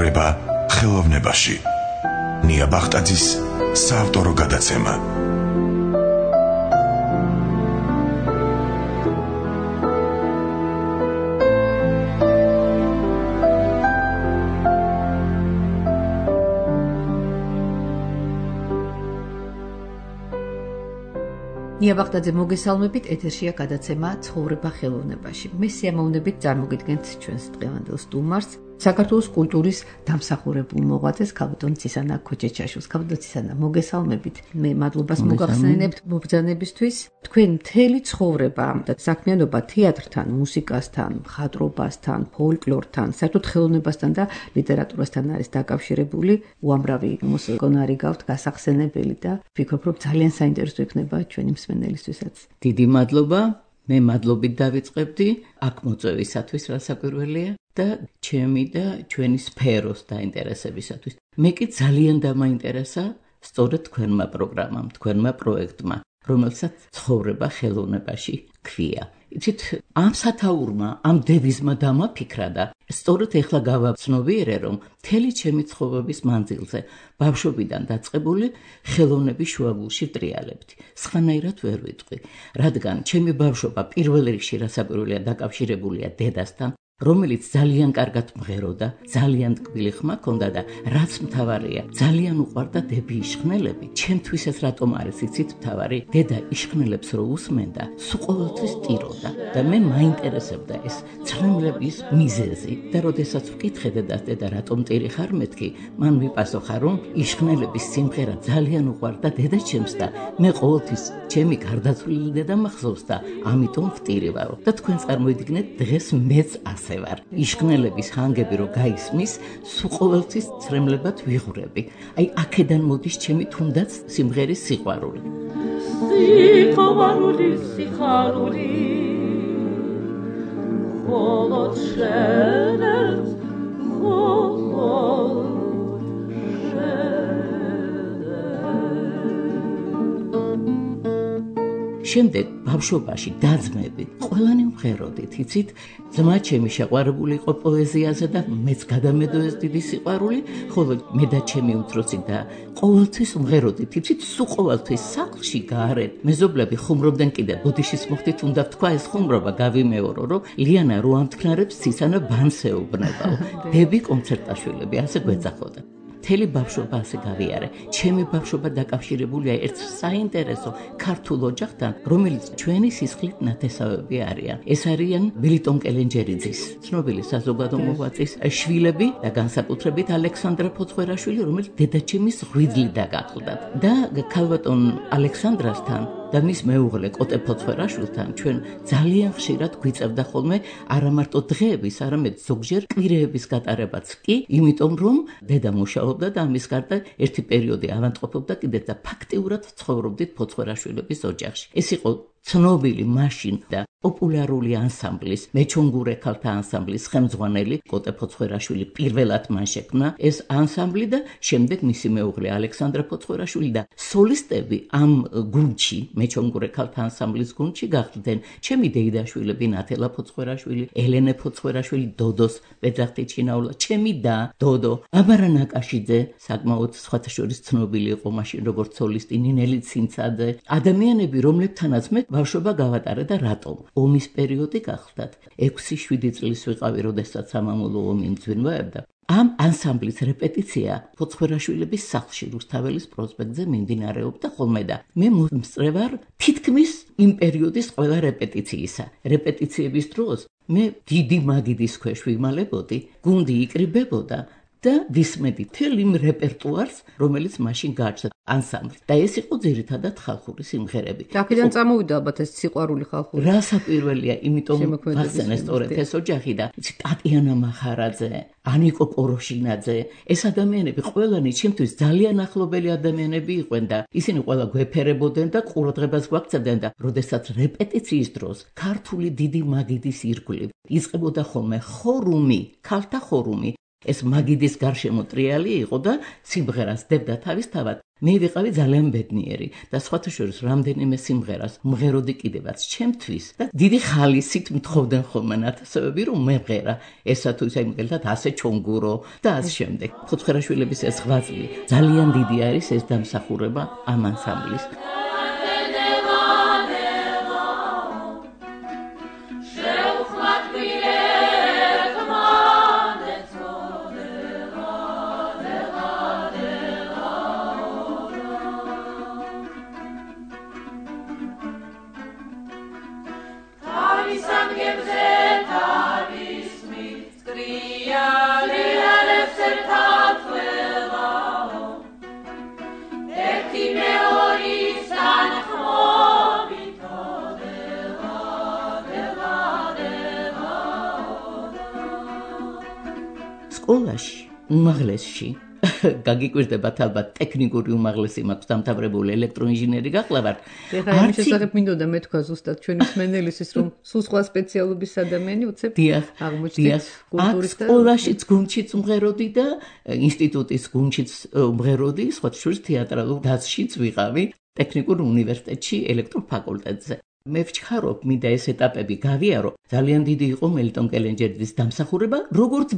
ცხოვრება ხელოვნებაში. ნია ბახტაძის საავტორო გადაცემა. ნია ბახტაძე მოგესალმებით, ეთერშია გადაცემა ცხოვრება ხელოვნებაში. მე სიამოვნებით წარმოგიდგენთ ჩვენს დღევანდელ სტუმარს, საქართველოს კულტურის დამსახურებულ მოღვაწეს ქალბატონ ცისანა ქოჩეჩაშვილს. ქალბატონ ცისანა, მოგესალმებით. მე მადლობას მოგახსენებთ მობრძანებისთვის. თქვენ მთელი ცხოვრება და საქმიანობა თეატრთან, მუსიკასთან, მხატვრობასთან, ფოლკლორთან, საერთოდ ხელოვნებასთან და ლიტერატურასთან არის დაკავშირებული. უამრავი მუსიკონარი გაქვთ გასახსენებელი და ვფიქრობ, რომ ძალიან საინტერესო იქნება ჩვენი მსმენელისთვისაც. დიდი მადლობა. მე მადლობით დავიწყებდი აქ მოწვევისათვის, რასაკვირველია და ჩემი და ჩვენი სფეროს დაინტერესებისათვის. მე კი ძალიან დამაინტერესა სწორედ თქვენმა პროგრამამ, თქვენმა პროექტმა, რომელსაც ცხოვრება ხელოვნებაში ქვია. იცით, ამ სათაურმა, ამ დევიზმა დამაფიქრა და სწორედ ეხლა გავაცნობიერე, რომ მთელი ჩემი ცხოვრების მანძილზე ბავშვობიდან დაწყებული ხელოვნების შუაგულში ვტრიალებდი. სხვანაირად ვერ ვიტყვი, რადგან ჩემი ბავშვობა პირველ რიგში რასაკვირველია დაკავშირებულია დედასთან, რომელიც ძალიან კარგად მღეროდა, ძალიან ტკბილი ხმა ჰქონდა და რაც მთავარია, ძალიან უყვარდა დები იშხნელები. ჩემთვის ეს რატომ არის იცით მთავარი? დედა იშხნელებს რო უსმენდა, სულ ყოველთვის ტიროდა და მე მაინტერესებდა ეს ცრემლების მიზეზი და როდესაც ვკითხე დედას, დედა რატომ ტირი ხარ მეთქი, მან მიპასუხა, რომ იშხნელების სიმღერა ძალიან უყვარდა დედა ჩემს და მე ყოველთვის ჩემი გარდაცვლილი დედა მახსოვს და ამიტომ ვტირივარო. და თქვენ წარმოიდგინეთ, დღეს მეც ვარ. იშხნელების ჰანგები რო გაისმის, სულ ყოველთვის ცრემლებად ვიღურები. აი აქედან მოდის ჩემი თუნდაც სიმღერის სიყვარული. სიყვარული, სიხარული. მხოლოდ შენს, მხოლოდ შემდეგ ბავშვობაში დაძმებით ყველანი ვღეროდით, იცით, ძმა ჩემი შეყვარებული იყო პოეზიაზე და მეც გადამედო ეს დიდი სიყვარული, ხოლო მე და ჩემი უმცროსი და ყოველთვის ვღეროდით, იცით, სულ ყოველთვის სახლში გარეთ მეზობლები ხუმრობდნენ კიდე ბოდიშის მოხდით უნდა ვთქვა ეს ხუმრობა გავიმეორო, რომ ლიანა რო ამთქნარებს ცისანა ბანს ეუბნებაო. დები კონცერტაშვილები ასე გვეძახოდა. მთელი ბავშვობა ასე გავიარე. ჩემი ბავშვობა დაკავშირებულია ერთ საინტერესო ქართულ ოჯახთან, რომელიც ჩვენი სისხლით ნათესავები არიან. ეს არიან ბილიტონ კელენჯერიძის, ცნობილი საზოგადო მოღვაწის შვილები და განსაკუთრებით ალექსანდრა ფოცხვერაშვილი, რომელიც დედაჩემის ღვიძლი დაგახლდათ. და ქალბატონ ალექსანდრასთან და მის მეუღლე კოტე ფოცხვერაშვილთან ჩვენ ძალიან ხშირად გვიწევდა ხოლმე არა მარტო დღეების, არამედ ზოგჯერ კვირეების გატარებაც კი, იმიტომ რომ დედა მუშაობდა და ამის გარდა ერთი პერიოდი ავადმყოფობდა კიდეც და ფაქტიურად ცხოვრობდით ფოცხვერაშვილების ოჯახში. ეს იყო ცნობილი მაშინ და პოპულარული ანსამბლის, მეჩონგურე ქალთა ანსამბლის ხელმძღვანელი კოტე ფოცხვერაშვილი პირველად მან შექმნა ეს ანსამბლი და შემდეგ მისი მეუღლე ალექსანდრა ფოცხვერაშვილი და სოლისტები ამ გუნდში, მეჩონგურე ქალთა ანსამბლის გუნდში გახდნენ ჩემი დეიდაშვილები ნათელა ფოცხვერაშვილი, ელენე ფოცხვერაშვილი, დოდოს პეძახტი ჩინაულა, ჩემი და დოდო, აბარა ნაკაშიძე, საკმაოდ სხვათა შორის ცნობილი იყო მაშინ როგორც სოლისტი, ნინელი ცინცაძე, ადამიანები, რომლებთანაც მე ბავშვობა გავატარე და რატომ? ომის პერიოდი გახლდათ. 6-7 წლის ვიყავი, როდესაც სამამულო ომი მძვინვაებდა. ამ ანსამბლის რეპეტიცია ფოცხვერაშვილების სახლში რუსთაველის პროსპექტზე მიმდინარეობდა ხოლმე და მე მომსწრე ვარ თითქმის იმ პერიოდის ყველა რეპეტიციისა. რეპეტიციების დროს მე დიდი მაგიდის ქვეშ ვიმალებოდი, გუნდი იკრიბებოდა და ვისმედი მთელ იმ რეპერტუარს, რომელიც მაშინ გააჩნდა ანსამბლს. და ეს იყო ძირითადად ხალხური სიმღერები. და აქედან წამოვიდა ალბათ ეს სიყვარული ხალხური. რასაკვირველია, იმიტომ ვახსენე სწორედ ეს ოჯახი და ტატიანა მახარაძე, ანიკო პოროშინაძე, ეს ადამიანები ყველანი ჩემთვის ძალიან ახლობელი ადამიანები იყვნენ და ისინი ყველა გვეფერებოდნენ და ყურადღებას გვაქცევდნენ და როდესაც რეპეტიციის დროს ქართული დიდი მაგიდის ირგვლივ იწყებოდა ხოლმე ხორუმი, ქალთა ხორუმი, ეს მაგიდის გარშემო ტრიალი იყო და სიმღერას დებდა თავისთავად. მე ვიყავი ძალიან ბედნიერი და სხვათა შორის რამდენიმე სიმღერას მღეროდი კიდევაც ჩემთვის და დიდი ხალისით მთხოვდნენ ხოლმე ნათესავები რომ მემღერა ესა თუ ისე მაგალითად ასე ჩონგურო და ასე შემდეგ. ფოთხრაშვილების ეს ღვაწლი ძალიან დიდი არის ეს დამსახურება ამ ანსამბლის. სკოლაში უმაღლესში გაგიკვირდებათ ალბათ ტექნიკური უმაღლესი მაქვს დამთავრებული ელექტროინჟინერი გახლავართ. ეხლა ამ შესახებ მინდოდა მეთქვა ზუსტად ჩვენი მსმენელისთვის რომ სულ სხვა სპეციალობის ადამიანი უცებ აღმოჩნდით კულტურის და სკოლაშიც გუნდშიც მღეროდი და ინსტიტუტის გუნდშიც მღეროდი, სხვა შორის თეატრალურ დაცშიც ვიყავი ტექნიკურ უნივერსიტეტში ელექტროფაკულტეტზე. მე ვჩქარობ, მინდა ეს ეტაპები გავიარო. ძალიან დიდი იყო მელიტონ კელენჯერის დამსახურება, როგორც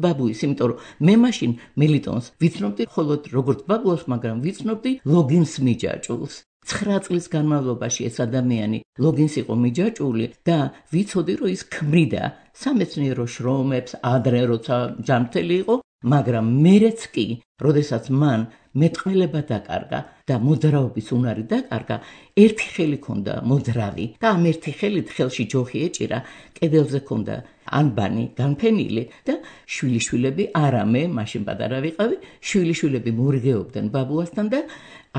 ბაბუის, იმიტომ რომ მე მაშინ მელიტონს ვიცნობდი მხოლოდ როგორც ბაბუას, მაგრამ ვიცნობდი ლოგინს მიჯაჭულს. 9 წლის განმავლობაში ეს ადამიანი ლოგინს იყო მიჯაჭული და ვიცოდი რომ ის ქმნიდა სამეცნიერო შრომებს ადრე როცა ჯანმრთელი იყო, მაგრამ მერეც კი, როდესაც მან მეტყველება დაკარგა და მოძრაობის უნარი დაკარგა, ერთი ხელი ქონდა მოძრავი და ამ ერთი ხელით ხელში ჯოხი ეჭირა, კედელზე ქონდა ანბანი განფენილი და შვილიშვილები, არამე, მაშინ პატარა ვიყავი, შვილიშვილები მორიგეობდნენ ბაბუასთან და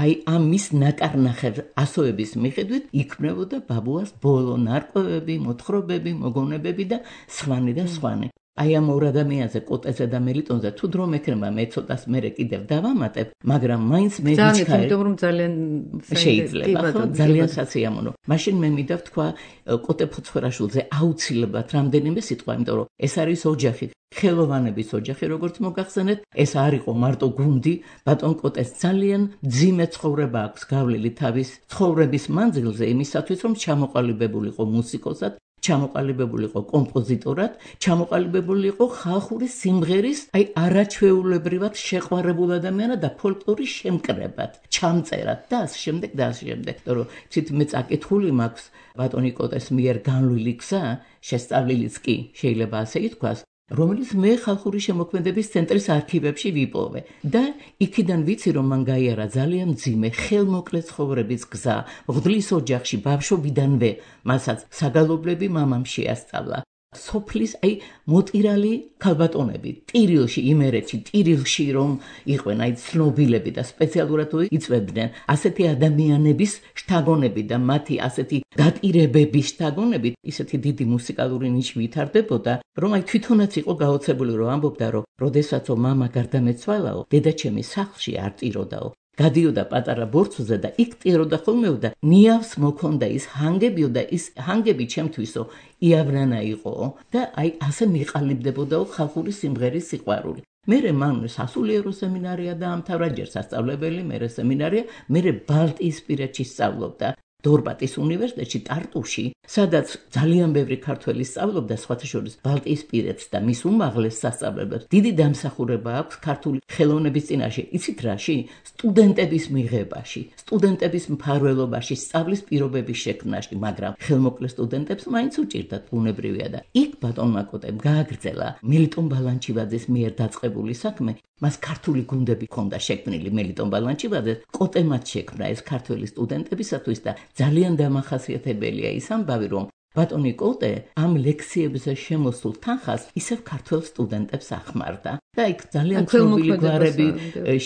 აი ამის ნაკარნახევ ასოების მიხედვით იქმნებოდა ბაბუას ბოლო ნარკვევები, მოთხრობები, მოგონებები და სხვანი და სხვანი. აი ამ ორ ადამიანზე, კოტეზე და მელიტონზე თუ დრო მექნება მე ცოტას მერე კიდევ დავამატებ, მაგრამ მაინც მე ვიჩქარე რომ ძალიან შეიძლება, ხო, ძალიან სასიამოვნო. მაშინ მე მინდა ვთქვა კოტე ფოცხვერაშვილზე აუცილებლად რამდენიმე სიტყვა, იმიტომ რომ ეს არის ოჯახი, ხელოვანების ოჯახი, როგორც მოგახსენეთ, ეს არ იყო მარტო გუნდი, ბატონ კოტეს ძალიან მძიმე ცხოვრება აქვს გავლილი თავის ცხოვრების მანძილზე იმისათვის, რომ ჩამოყალიბებულიყო მუსიკოსად, ჩამოყალიბებულიყო კომპოზიტორად, ჩამოყალიბებულიყო ხალხური სიმღერის, აი არაჩვეულებრივად შეყვარებულ ადამიანად და ფოლკლორის შემკრებად, ჩამწერად და ასე შემდეგ და ასე შემდეგ. რომ ცით მე წაკითხული მაქვს ბატონი კოტეს მიერ განვლილი გზა, შესწავლილიც კი შეიძლება ასე ითქვას, რომელიც მე ხალხური შემოქმედების ცენტრის არქივებში ვიპოვე და იქიდან ვიცი რომ მან გაიარა ძალიან მძიმე ხელმოკლე ცხოვრების გზა მღვდლის ოჯახში ბავშვობიდანვე მასაც საგალობლები მამამ შეასწავლა სოფლის აი მოტირალი ქალბატონები ტირილში იმერეთში ტირილში რომ იყვენ აი ცნობილები და სპეციალურად იწვევდნენ ასეთი ადამიანების შთაგონები და მათი ასეთი დატირებების შთაგონები ისეთი დიდი მუსიკალური ნიში ვითარდებოდა რომ აი თვითონაც იყო გაოცებული რომ ამბობდა რომ როდესაცო მამა გარდამეცვალაო დედაჩემი სახლში არ ტიროდაო გადიოდა პატარა ბორცვზე და იქ ტიროდა ხოლმეო და ნიავს მოქონდა ის ჰანგებიო და ის ჰანგები ჩემთვისო იავრანა იყო და აი ასე მიყალიბდებოდაო ხალხური სიმღერის სიყვარული. მერე მან სასულიერო სემინარია დაამთავრა, ჯერ სასწავლებელი, მერე სემინარია, მერე ბალტიისპირეთში სწავლობდა. დორბატის უნივერსიტეტში ტარტუში, სადაც ძალიან ბევრი ქართველი სწავლობდა, სხვათა შორის ბალტიისპირეთს და მის უმაღლეს სასწავლებლებს. დიდი დამსახურება აქვს ქართული ხელოვნების წინაშე. იცით რაში? სტუდენტების მიღებაში, სტუდენტების მფარველობაში, სწავლის პირობების შექმნაში, მაგრამ ხელმოკლე სტუდენტებს მაინც უჭირდათ, ბუნებრივია და იქ ბატონმა კოტემ გააგრძელა მელიტონ ბალანჩივაძის მიერ დაწყებული საქმე. მას ქართული გუნდები ჰქონდა შექმნილი მელიტონ ბალანჩივაძეს, კოტემაც შექმნა ეს ქართველი სტუდენტებისათვის და ძალიან დამახასიათებელია ის ამბავი, რომ ბატონი კოტე ამ ლექციებზე შემოსულ თანხას ისევ ქართველ სტუდენტებს ახმარდა. და იქ ძალიან ცნობილი გვარები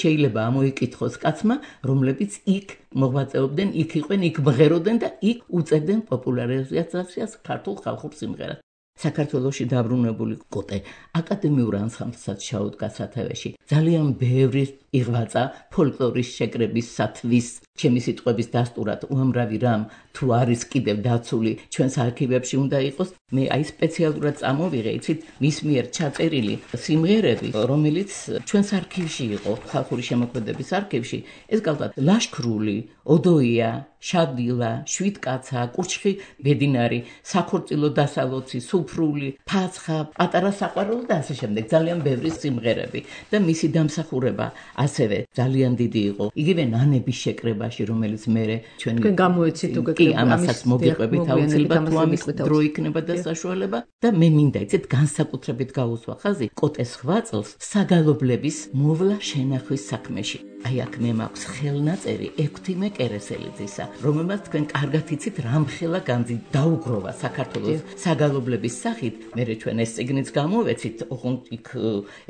შეიძლება ამოიკითხოს კაცმა, რომლებიც იქ მოღვაწეობდნენ, იქ იყვნენ, იქ მღეროდნენ და იქ უწევდნენ პოპულარიზაციას ქართულ ხალხურ სიმღერას. საქართველოში დაბრუნებული კოტე აკადემიურ ანსამბლსაც ჩაუდგა სათავეში. ძალიან ბევრი იღვაწა ფოლკლორის შეკრებისათვის, ჩემი სიტყვების დასტურად უამრავი რამ თუ არის კიდევ დაცული ჩვენს არქივებში უნდა იყოს. მე აი სპეციალურად წამოვიღე, იცით, მის მიერ ჩაწერილი სიმღერები, რომელიც ჩვენს არქივში იყო, ხალხური შემოქმედების არქივში. ეს გახლავთ ლაშქრული, ოდოია, შადილა, შვიდკაცა, კურჩხი ბედინარი, საქორწილო დასალოცი, სუფრული, ფაცხა, პატარა საყვარელო და ასე შემდეგ. ძალიან ბევრი სიმღერები და მისი დამსახურება ასევე ძალიან დიდი იყო. იგივე ნანების შეკრებაში, რომელიც მე ჩვენი გამოეცით კი ამასაც მოგიყვებით აუცილებლად თუ ამის დრო იქნება და საშუალება და მე მინდა იცით განსაკუთრებით გაუსვა ხაზი კოტეს ხვაწლს საგალობლების მოვლა შენახვის საქმეში. აი აქ მე მაქვს ხელნაწერი ექვთიმე კერესელიძისა, რომელმაც თქვენ კარგად იცით რამხელა განძი დაუგროვა საქართველოს საგალობლების სახით. მე ჩვენ ეს წიგნიც გამოვეცით, ოღონდ იქ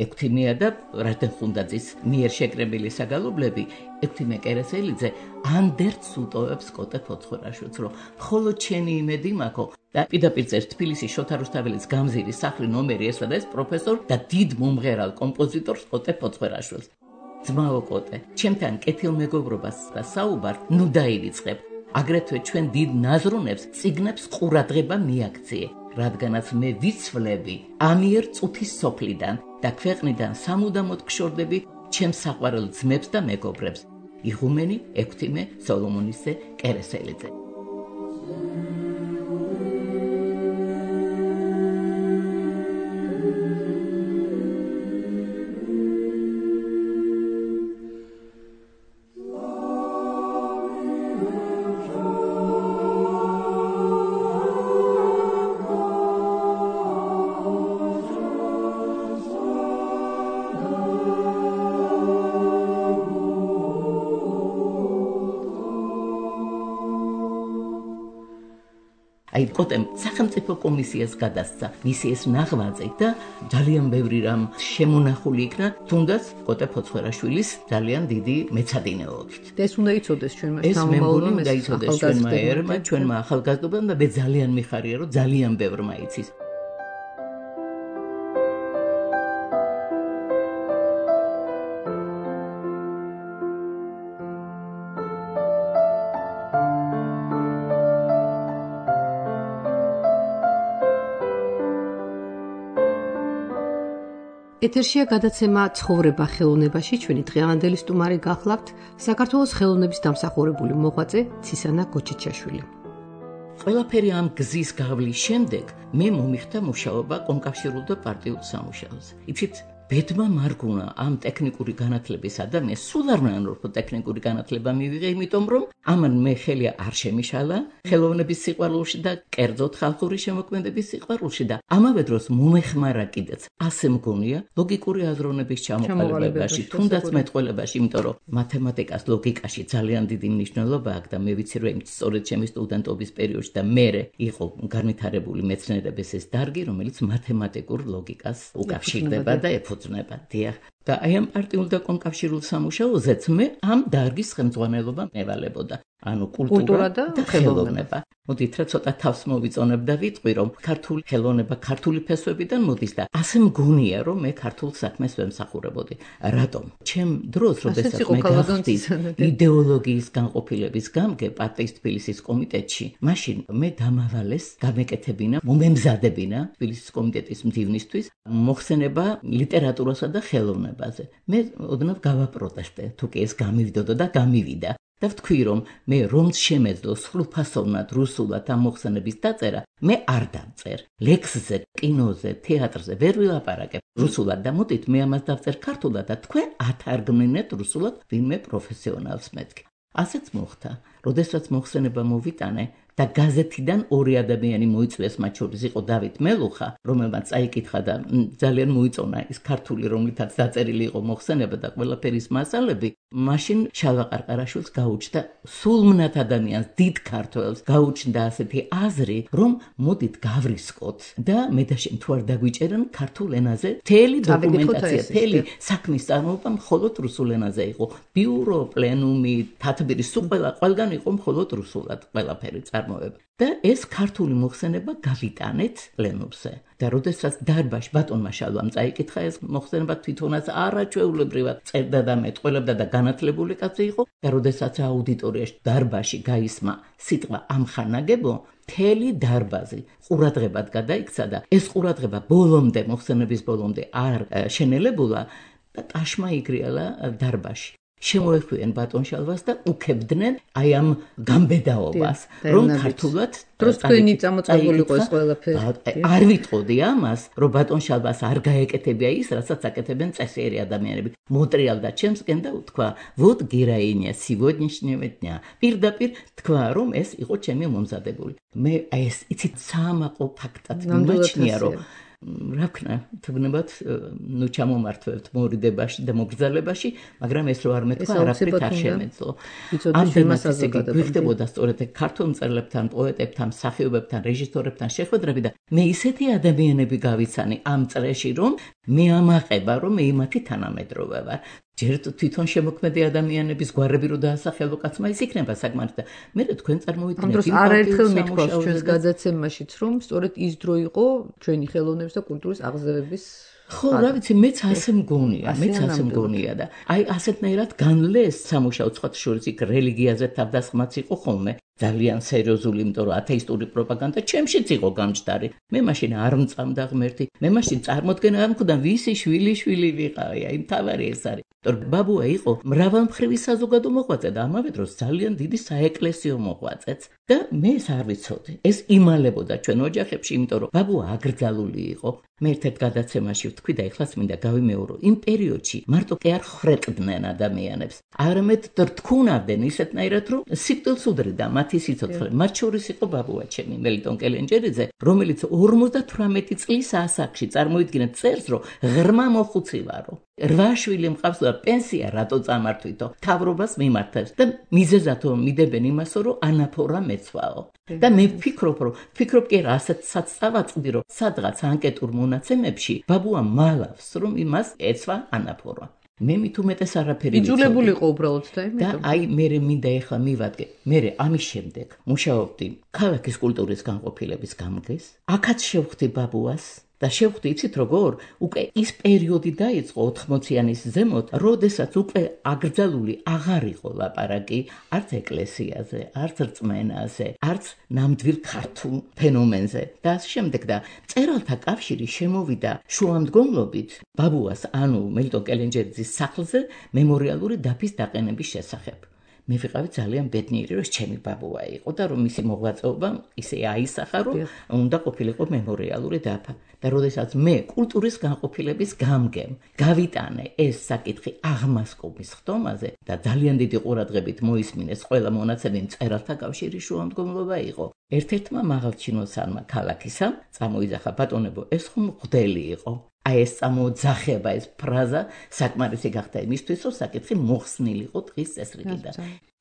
ექვთიმეა და რადენ ხუნდაძის მიერ შეკრებილი საგალობლები. ექვთიმე კერესელიძე ანდერც უტოვებს კოტე ფოცხორაშვილს, რომ მხოლოდ ჩენი იმედი მაქვს და პირდაპირ წერს თბილისის შოთა რუსთაველის გამზირის სახლი ნომერი ესვა და ეს პროფესორ და დიდ მომღერალ კომპოზიტორს კოტე ფოცხორაშვილს. ძმაო კოტე, ჩემთან კეთილმეგობრობას და საუბარს ნუ დაივიწყებ. აგრეთვე ჩვენ დიდ ნაზრუნებს წიგნებს ყურადღება მიაქციე, რადგანაც მე ვიცვლები ამიერ წუთის სოფლიდან და ქვეყნიდან სამუდამოდ გშორდები ჩემს საყვარელ ძმებს და მეგობრებს. იღუმენი ექვთიმე სოლომონისე კერესელიძე. აი კოტემ სახელმწიფო კომისიას გადასცა მისი ეს ნაღვაწი და ძალიან ბევრი რამ შემონახული იქნა, თუნდაც კოტე ფოცხორაშვილის ძალიან დიდი მეცადინეობით. ეს უნდა იცოდეს ჩვენმა ეს მე მგონი უნდა იცოდეს ჩვენმა ერმა, ჩვენმა ახალგაზრდობამ და მე ძალიან მიხარია, რომ ძალიან ბევრმა იცის. ეთერშია გადაცემა ცხოვრება ხელოვნებაში. ჩვენი დღევანდელი სტუმარი გახლავთ საქართველოს ხელოვნების დამსახურებული მოღვაწე ცისანა გოჩიჩაშვილი. ყველაფერი ამ გზის გავლის შემდეგ მე მომიხდა მუშაობა კომკავშირულ და პარტიულ სამუშაოზე. იცით, ბედმა მარგუნა ამ ტექნიკური განათლების ადამიანს სულ არ მანორფო ტექნიკური განათლება მივიღე, იმიტომ რომ ამან მე ხელი არ შემიშალა ხელოვნების სიყვარულში და კერძოდ ხალხური შემოქმედების სიყვარულში და ამავე დროს მომეხმარა კიდეც ასე მგონია ლოგიკური აზროვნების ჩამოყალიბებაში, თუნდაც მეტყველებაში, იმიტომ რომ მათემატიკას ლოგიკაში ძალიან დიდი მნიშვნელობა აქვს და მე ვიცი რომ სწორედ ჩემი სტუდენტობის პერიოდში და მერე იყო განვითარებული მეცნიერების ეს დარგი, რომელიც მათემატიკურ ლოგიკას უკავშირდება და ეფუძნება. დიახ. და აი ამ პარტიულ და კომკავშირულ სამუშაოზეც მე ამ დარგის ხელმძღვანელობა მევალებოდა. ანუ კულტურა და ხელოვნება. მოდით რა ცოტა თავს მოვიწონებ და ვიტყვი რომ ქართული ხელოვნება ქართული ფესვებიდან მოდის და ასე მგონია რომ მე ქართულ საქმეს ვემსახურებოდი. რატომ? ჩემ დროს როდესაც მე გავხდი იდეოლოგიის განყოფილების გამგე პარტიის თბილისის კომიტეტში, მაშინ მე დამავალეს გამეკეთებინა, მომემზადებინა თბილისის კომიტეტის მდივნისთვის მოხსენება ლიტერატურასა და ხელოვნებაზე. მე ოდნავ გავაპროტესტე, თუ კი ეს გამივიდოდა და გამივიდა. და ვთქვი რომ მე რომც შემეძლო სრულფასოვნად რუსულად ამ მოხსენების დაწერა, მე არ დავწერ. ლექსზე, კინოზე, თეატრზე ვერ ვილაპარაკებ რუსულად და მოდით მე ამას დავწერ ქართულად და თქვენ ათარგმნით რუსულად ვინმე პროფესიონალს მეთქი. ასეც მოხდა, როდესაც მოხსენება მოვიტანე და გაზეთიდან ორი ადამიანი მოიწვიეს, მათ შორის იყო დავით მელუხა, რომელმაც წაიკითხა და ძალიან მოიწონა ის ქართული, რომლითაც დაწერილი იყო მოხსენება და ყველაფერის მასალები. მაშინ შალვა ყარყარაშვილს გაუჩნდა სულმნათ ადამიანს, დიდ ქართველს გაუჩნდა ასეთი აზრი, რომ მოდით გავრისკოთ და მე და შენ თუ არ დაგვიჭერან ქართულ ენაზე მთელი დოკუმენტაცია, მთელი საქმის წარმოება მხოლოდ რუსულ ენაზე იყო. ბიურო, პლენუმი, თათბირი, სულ ყველგან იყო მხოლოდ რუსულად ყველაფერი წარმოება. და ეს ქართული მოხსენება გავიტანეთ პლენუმზე. და როდესაც დარბაში ბატონმა შალვამ წაიკითხა ეს მოხსენება, თვითონაც არაჩვეულებრივად წერდა და მეტყველებდა და განათლებული კაცი იყო და როდესაც აუდიტორიაში დარბაში გაისმა სიტყვა ამხანაგებო, მთელი დარბაზი ყურადღებად გადაიქცა და ეს ყურადღება ბოლომდე, მოხსენების ბოლომდე არ შენელებულა და ტაშმა იგრიალა დარბაში. შემოეხვიენ ბატონ შალვას და უქებდნენ აი ამ გამბედაობას, რომ ქართულად დროს თქვენი წამოწებული იყო ეს ყველაფერი. არ ვიტყოდი ამას, რომ ბატონ შალვას არ გაეკეთებია ის, რასაც აკეთებენ წესიერი ადამიანები. მოტრიალდა ჩემსკენ და უთქვა, вот героиня сегодняшнего дня. პირდაპირ თქვა, რომ ეს იყო ჩემი მომზადებული. მე ეს იცით საამაყო ფაქტად მიმაჩნია, რომ რა ვქნა, თუნდაც ნუ ჩამომართვევთ მორიდებაში და მოგრძალებაში, მაგრამ ეს რო არ მეთქვა, არაფრით არ შემეძლო. ამ თემასაც გვიხდებოდა სწორედ ქართულ მწერლებთან, პოეტებთან, მსახიობებთან, რეჟისორებთან შეხვედრები და მე ისეთი ადამიანები გავიცანი ამ წრეში, რომ მე ამაყება, რომ მე იმათი თანამედროვე ვარ. ჯერ თვითონ შემოქმედი ადამიანების გვარები რო დაასახელო კაცმა, ის იქნება საკმარისი და მე თქვენ წარმოვიდგინეთ. ამ დროს არაერთხელ მithქვავს ჩვენს გადაცემაშიც, რომ სწორედ ის დრო იყო ჩვენი ხელოვნების და კულტურის აღზევების. ხო, რა ვიცი, მეც ასე მგონია და აი ასეთნაირად განლეს სამუშაო სხვათა შორის იქ რელიგიაზე თავდასხმაც იყო ხოლმე. ძალიან სერიოზული, იმიტომ რომ ათეისტური პროპაგანდა ჩემშიც იყო გამჯდარი. მე მაშინ არ მწამდა ღმერთი. მე მაშინ წარმოდგენა არ მქონდა ვისი შვილი ვიყავი, აი მთავარი ეს არის. ბაბუა იყო მრავალმხრივი საზოგადო მოღვაწე და ამავე დროს ძალიან დიდი საეკლესიო მოღვაწეც და მე ეს არ ვიცოდი. ეს იმალებოდა ჩვენ ოჯახებში, იმიტომ რომ ბაბუა აკრძალული იყო. მე ერთ გადაცემაში ვთქვი და ეხლაც მინდა გავიმეორო, იმ პერიოდში მარტო კი არ ხრეყდნენ ადამიანებს, არამედ რთქუნავდნენ ისეთნაირად, რომ სიკვდილს უდრიდა მათი სიცოცხლე. მათ შორის იყო ბაბუა ჩემი, მელიტონ კელენჯერიძე, რომელიც 58 წლის ასაკში წარმოიდგინეთ წერს, რომ ღრმა მოხუცი ვარო. 8 შვილი მყავს და პენსია რატო წამართვითო, თავრობას მიმართებს და მიზეზათო მიდებენ იმასო, რომ ანაფორა მეცვაო. და მე ვფიქრობ კი რასაც წავაწყდი, რომ სადღაც ანკეტურ მონაცემებში ბაბუა მალავს, რომ იმას ეცვა ანაფორა. მე მით უმეტეს არაფერი ვიცოდი. იძულებული იყო უბრალოდ და და აი მე მინდა ეხლა მივადგე. მე ამის შემდეგ მუშაობდი ქალაქის კულტურის განყოფილების გამგეს. აქაც შევხვდი ბაბუას. და შევხვდი, იცით როგორ? უკვე ის პერიოდი დაიწყო 80-იანის ზემოთ, როდესაც უკვე აკრძალული აღარ იყო ლაპარაკი არც ეკლესიაზე, არც რწმენაზე, არც ნამდვილ ქართულ ფენომენზე და ამ შემდეგ და მწერალთა კავშირი შემოვიდა შუამდგომლობით ბაბუას, ანუ მელიტონ კელენჯერიძის სახლზე მემორიალური დაფის დაყენების შესახებ. მე ვიყავი ძალიან ბედნიერი, რომ ჩემი ბაბუა იყო და რომ მისი მოღვაწეობა ისე აისახა, რომ უნდა ყოფილიყო მემორიალური დაფა. და როდესაც მე კულტურის განყოფილების გამგემ გავიტანე ეს საკითხი აღმასკომის ხდომაზე და ძალიან დიდი ყურადღებით მოისმინეს ყველა მონაცემი, მწერალთა კავშირის შუამდგომლობა იყო. ერთ-ერთმა მაღალჩინოსანმა ქალაქისამ წამოიძახა, ბატონებო, ეს ხომ მღვდელი იყო. აი ეს წამოძახება, ეს ფრაზა საკმარისი გახდა იმისთვის, რომ საკითხი მოხსნილიყო დღის წესრიგიდან.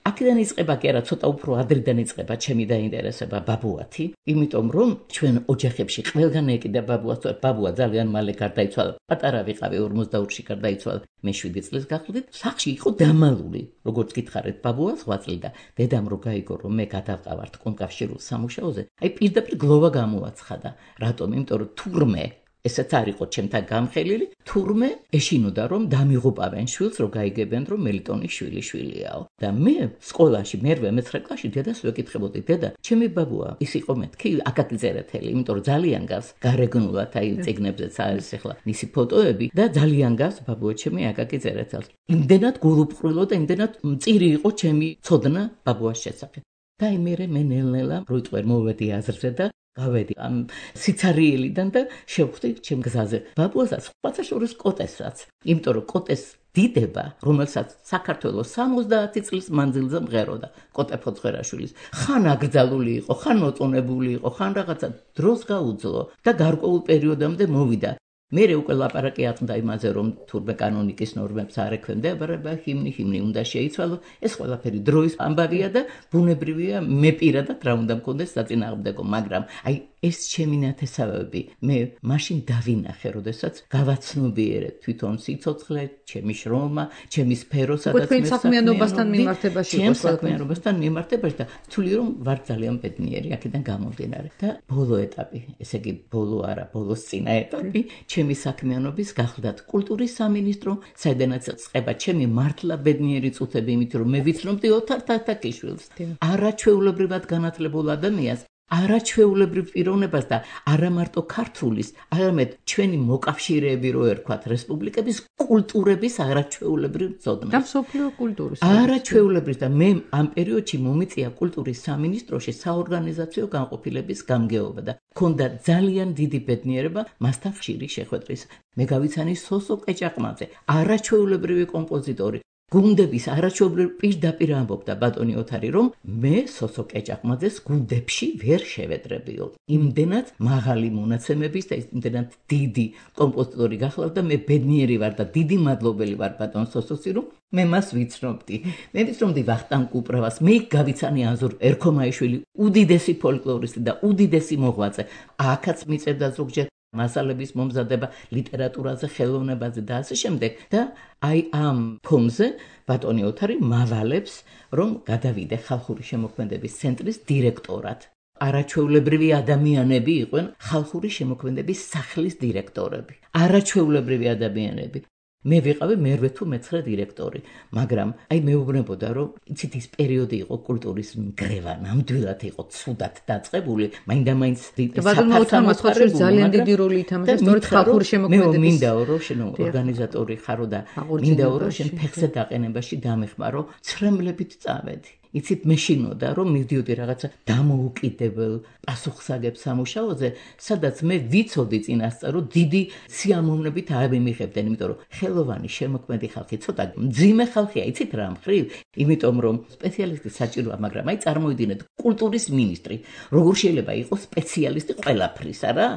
აქედან იწყება კი არა, ცოტა უფრო ადრიდან იწყება ჩემი დაინტერესება ბაბუათი, იმიტომ რომ ჩვენ ოჯახებში ყველგან ეკიდა ბაბუას, ბაბუა ძალიან მალე გარდაიცვალა. პატარა ვიყავი, 42-ში გარდაიცვალა. მე 7 წლის გახლდით, სახლში იყო დამალული, როგორც გითხარით, ბაბუა 8 წელი და დედამ რო გაიგო, რომ მე გადავყავართ კონკავშირულ სამუშაოზე, აი პირდაპირ გლოვა გამოაცხადა. რატომ? იმიტომ რომ თურმე ესეც არ იყო ჩემთან გამხელილი, თურმე ეშინოდა, რომ დამიღუპავენ შვილს, რომ გაიგებენ, რომ მელიტონის შვილიაო. და მე სკოლაში, მერვე მეცხრე კლასში დედას ვეკითხებოდი, დედა, ჩემი ბაბუა ის იყო მეთქი, აკაკი წერეთელი, იმიტომ რომ ძალიან გავს გარეგნულად, აი წიგნებზეც არის ახლა მისი ფოტოები და ძალიან გავს ბაბუა ჩემი აკაკი წერეთელს. იმდენად გულუბრყვილო და იმდენად მწირი იყო ჩემი ცოდნა ბაბუას შესახებ. და აი მე ნელ-ნელა როიტყვერ მოვედი აზრზე და გავედი ამ სიცარიელიდან და შევხვდი ჩემ გზაზე ბაბუასაც, სხვათა შორის კოტესაც, იმიტომ რომ კოტეს დიდება, რომელსაც საქართველოს 70 წლის მანძილზე მღეროდა კოტე ფოცხერაშვილის, ხან აკრძალული იყო, ხან მოწონებული იყო, ხან რაღაცა დროს გაუძლო და გარკვეულ პერიოდამდე მოვიდა. მერე უკვე ლაპარაკი აწყდა იმაზე, რომ თურმე კანონიკის ნორმებს არ ექვემდებარება ჰიმნი უნდა შეიცვალოს. ეს ყველაფერი დროის ამბავია და ბუნებრივია, მე პირადად რა უნდა მქონდეს საწინააღმდეგო, მაგრამ აი ეს ჩემი ნათესავები მე მაშინ დავინახე, როდესაც გავაცნობიერე თვითონ სიცოცხლე, ჩემი შრომა, ჩემი სფერო, სადაც მე საქმიანობასთან მიმართებაში ჩემ საქმიანობასთან მიმართებაში და ვთვლი რომ ვარ ძალიან ბედნიერი აქედან გამომდინარე. და ბოლო ეტაპი, ესე იგი ბოლო არა, ბოლოს წინა ეტაპი, ჩემი საქმიანობის გახლდათ კულტურის სამინისტრო, საიდანაც წყება ჩემი მართლა ბედნიერი წუთები, იმით რომ მე ვიცნობდი ოთარ თათაკიშვილს, არაჩვეულებრივად განათლებულ ადამიანს, არაჩვეულებრივ პიროვნებას და არა მარტო ქართულის, არამედ ჩვენი მოკავშირეები რო ერქვათ რესპუბლიკების კულტურების არაჩვეულებრივ მწოდნეს. და მსოფლიო კულტურის. არაჩვეულებრივ და მე ამ პერიოდში მომიწია კულტურის სამინისტროში საორგანიზაციო განყოფილების გამგეობა და მქონდა ძალიან დიდი ბედნიერება მასთან ხშირი შეხვედრის. მე გავიცანი სოსო ყეჭაყმაძე, არაჩვეულებრივი კომპოზიტორი. გუნდების არაჩვეულებრივ პირდაპირ ამბობდა ბატონი ოთარი, რომ მე სოსო ყეჭაყმაძეს გუნდებში ვერ შევედრებიო. იმდენად მაღალი მონაცემების და იმდენად დიდი კომპოზიტორი გახლავდა, მე ბედნიერი ვარ და დიდი მადლობელი ვარ ბატონ სოსოსი, რომ მე მას ვიცნობდი. მე ვიცნობდი ვახტანგ კუპრავას, მე გავიცანი აზურ ერქომაიშვილი, უდიდესი ფოლკლორისტი და უდიდესი მოღვაწე. აქაც მიწევდა ზოგჯერ მასალების მომზადება ლიტერატურაზე, ხელოვნებაზე და ასე შემდეგ და აი ამ ფონზე ბატონი ოთარი მავალებს, რომ გადავიდე ხალხური შემოქმედების ცენტრის დირექტორად. არაჩვეულებრივი ადამიანები იყვნენ ხალხური შემოქმედების სახლის დირექტორები. არაჩვეულებრივი ადამიანები. მე ვიყავი მერვე თუ მეცხრე დირექტორი, მაგრამ აი მეუბნებოდა, რომ იცით ის პერიოდი იყო კულტურის მგრევა, ნამდვილად იყო ცუდად დაწყებული, მაინდა-მაინც ბატონო ოთარმა ძალიან დიდი როლი ითამაშა სწორედ ხალხური შემოქმედების. მე მინდაო, რომ შენ ორგანიზატორი ხარო და მინდაო, რომ შენ ფეხზე დაყენებაში დამეხმარო, ცრემლებით წავედი. იცით მეშინოდა, რომ მივდიოდი რაღაცა დამოუკიდებელ პასუხსაგებ სამუშაოზე, სადაც მე ვიცოდი წინასწარ, რომ დიდი სიამოვნებით ავიმიღებდნენ, იმიტომ რომ ხელოვანი შემოქმედი ხალხი ცოტა მძიმე ხალხია, იცით რა მხრივ, იმიტომ რომ სპეციალისტი საჭიროა, მაგრამ აი წარმოიდგინეთ, კულტურის მინისტრი, როგორ შეიძლება იყოს სპეციალისტი ყველაფრისა რა?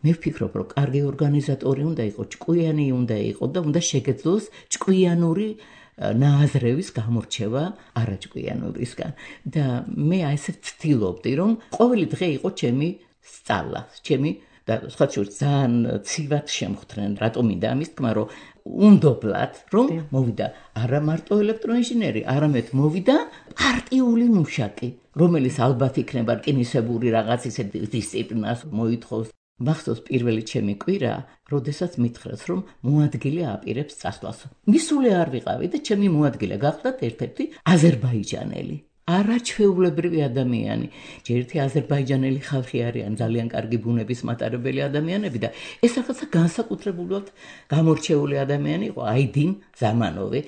მე ვფიქრობ, რომ კარგი ორგანიზატორი უნდა იყოს, ჭკვიანი უნდა იყოს და უნდა შეგეძლოს ჭკვიანური ნააზრევის გამორჩევა არაჭკვიანურისგან და მე ასე ვცდილობდი, რომ ყოველი დღე იყო ჩემი სწავლა, ჩემი და სხვა შორის ძალიან ცივად შემხვდნენ, რატომ მინდა ამის თქმა, რომ უნდობლად, რომ მოვიდა არა მარტო ელექტროინჟინერი, არამედ მოვიდა პარტიული მუშაკი, რომელიც ალბათ იქნება რკინისებური რაღაც ისე დისციპლინას მოითხოვს. მახსოვს პირველი ჩემი კვირა, როდესაც მითხრეს, რომ მოადგილე აპირებს წასვლას. მისული არ ვიყავი და ჩემი მოადგილე გახლდათ ერთ-ერთი აზერბაიჯანელი. არაჩვეულებრივი ადამიანი. ჯერ ერთი აზერბაიჯანელი ხალხი არიან ძალიან კარგი ბუნების მატარებელი ადამიანები და ეს რაღაცა განსაკუთრებულად გამორჩეული ადამიანი იყო აიდინ ზამანოვი.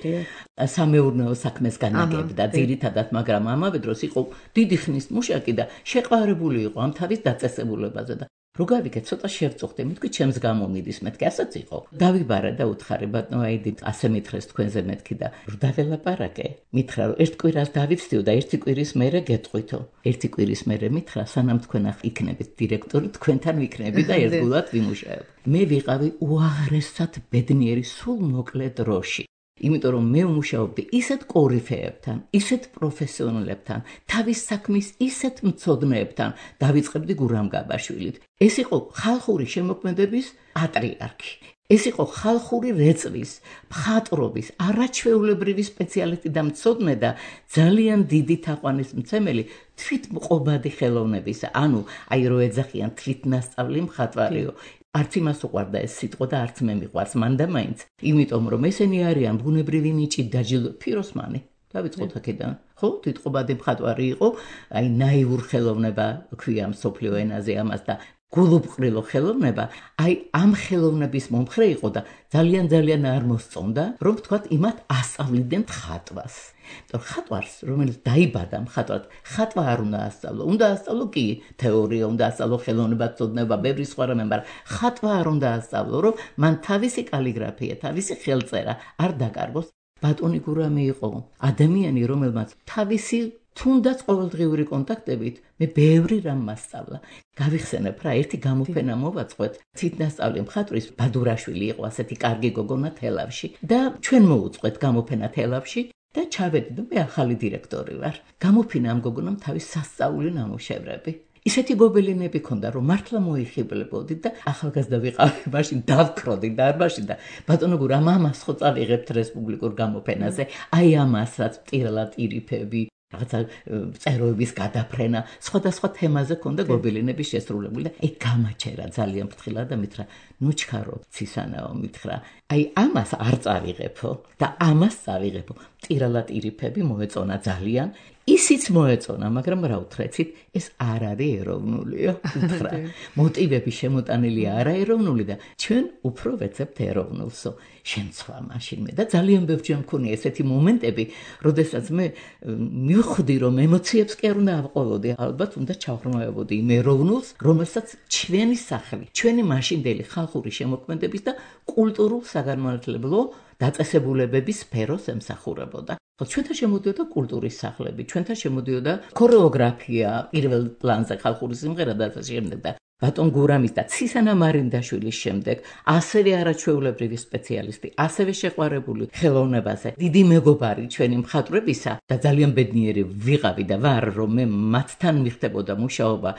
სამეურნეო საქმეს განაგებდა ძირითადად, მაგრამ ამავე დროს იყო დიდი ხნის მუშაკი და შეყვარებული იყო ამ თავის დაწესებულებაზე და რო გავიგე ცოტა შევწუხდი, მეთქი ჩემს გამომიდის, მეთქი ასეც იყო. დავიბარა და უთხარი ბატონო აიდით, ასე მითხრეს თქვენზე მეთქი და რო დაველაპარაკე, მითხრა რომ ერთ კვირას დავიცდიო და ერთი კვირის მერე გეტყვითო. ერთი კვირის მერე მითხრა, სანამ თქვენ იქნებით დირექტორი, თქვენთან ვიქნები და ერთგულად ვიმუშაებ. მე ვიყავი უაღრესად ბედნიერი სულ მოკლე დროში. იმიტომ რომ მე ვმუშაობდი ისეთ კორიფეებთან, ისეთ პროფესიონალებთან, თავის საქმის ისეთ მცოდნეებთან, დავიწყებდი გურამ გაბაშვილით. ეს იყო ხალხური შემოქმედების პატრიარქი. ეს იყო ხალხური რეწვის, მხატვრობის, არაჩვეულებრივი სპეციალისტი და მცოდნე და ძალიან დიდი თაყვანისმცემელი თვითმყოფადი ხელოვნებისა. ანუ აი რო ეძახიან თვითნასწავლი მხატვარიო. არც იმას უყვარდა ეს სიტყვა და არც მე მიყვარს მან და მაინც. იმიტომ რომ ესენი არიან ბუნებრივი ნიჭი დაჯილდო ფიროსმანი. დავიწყოთ აქედან. ხო, თვითმყოფადი მხატვარი იყო, აი ნაივურ ხელოვნება ქვია მსოფლიო ენაზე ამას და გულუბრყრილო ხელოვნება, აი ამ ხელოვნების მომხრე იყო და ძალიან არ მოსწონდა, რომ თქვათ იმათ ასწავლიდნენ ხატვას. ხატვარს, რომელიც დაიბადა მხატვრად, ხატვა არ უნდა ასწავლო. უნდა ასწავლო კი თეორია, უნდა ასწავლო ხელოვნება, ცოდნება, ბევრი სხვა რამე, მაგრამ ხატვა არ უნდა ასწავლო, რომ მან თავისი კალიგრაფია, თავისი ხელწერა არ დაკარგოს. ბატონი გურამი იყო ადამიანი, რომელმაც თავისი თუნდაც ყოველდღიური კონტაქტებით მე ბევრი რამ მასწავლა. გავიხსენებ რა, ერთი გამოფენა მოვაწყოთ. ცით-ნასწავლი მხატვრის ბადურაშვილი იყო ასეთი კარგი გოგონა თელავში და ჩვენ მოუწყვეთ გამოფენა თელავში და ჩავედი და მე ახალი დირექტორი ვარ. გამოფინა ამ გოგონამ თავის სასწაული ნამუშევრები. ისეთი გობელინები ქონდა, რომ მართლა მოიხიბლებოდი და ახალგაზრდა ვიყავი, მაშინ დავქროდი დარბაზში და ბატონო გურა, ამას ხო წავიღებთ რესპუბლიკურ გამოფენაზე, აი ამას რაც მტირალად ირიფები, რაღაცა წეროების გადაფრენა, სხვადასხვა თემაზე ქონდა გობელინები შესრულებული და გამაჩერა ძალიან ფრთხილად და მითხრა, ნუ ჩქარო ცისანაო, მითხრა, აი ამას არ წავიღებო და ამას წავიღებო. მტირალად ირიფები მოეწონა ძალიან. ისიც მოეწონა, მაგრამ რა უთხრեցით, ეს არ არის ეროვნულია, უთხრა. მოტივები შემოტანილი არაეროვნული და ჩვენ უფრო ვეცებთ ეროვნულსო. შემცვა მაშინ მე და ძალიან ბევრჯერ მქონია ესეთი მომენტები, როდესაც მე მივხვდი, რომ ემოციებს კი არ უნდა ავყოლოდი, ალბათ უნდა ჩავრმავებოდი იმ ეროვნულს, რომელსაც ჩვენი სახლი, ჩვენი მაშინდელი ხალხური შემოქმედების და კულტურულ საგანმანათლებლო დაწესებულებების სფეროს ემსახურებოდა. ჩვენთან შემოდიოდა კულტურის სახლები, ჩვენთან შემოდიოდა ქორეოგრაფია, პირველ პლანზე ხალხური სიმღერა და ასე შემდეგ და ბატონ გურამის და ცისანა მარინდაშვილის შემდეგ ასევე არაჩვეულებრივი სპეციალისტი, ასევე შეყვარებული ხელოვნებაზე, დიდი მეგობარი ჩვენი მხატვრებისა და ძალიან ბედნიერი ვიყავი და ვარ, რომ მე მათთან მიხდებოდა მუშაობა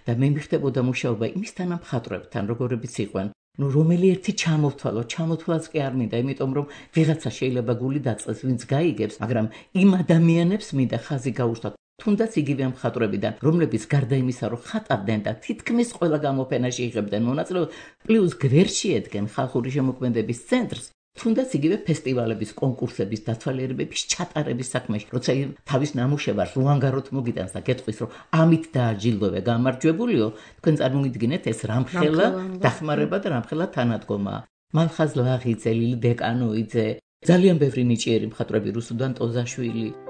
და მე მიხდებოდა მუშაობა იმის თანამხატვრებთან, როგორებიც იყვნენ. რომელი ერთი ჩამოთვალოს კი არ მინდა, იმიტომ რომ ვიღაცა შეიძლება გული დაწყეს, ვინც გაიგებს, მაგრამ იმ ადამიანებს მინდა ხაზი გაუშვათ. თუნდაც იგივე მხატვრებიდან, რომლებიც გარდა იმისა, რომ ხატავდნენ და თითქმის ყველა გამოფენაში იღებდნენ მონაწილეობას, პლუს გვერდში ედგნენ ხალხური შემოქმედების ცენტრს, თუნდაც იგივე ფესტივალების, კონკურსების, დათვალიერებების ჩატარების საქმეში, როცა თავის ნამუშევარს უანგაროდ მოგიტანს და გეტყვის, რომ ამით დააჯილდოვე, გამარჯვებულიო, თქვენ წარმოგიდგინეთ ეს რამხელა დახმარება და რამხელა თანადგომა. მალხაზ ლაღიძე, ლილი დეკანოიძე, ძალიან ბევრი ნიჭიერი მხატვრები, რუსუდან ტოზაშვილი.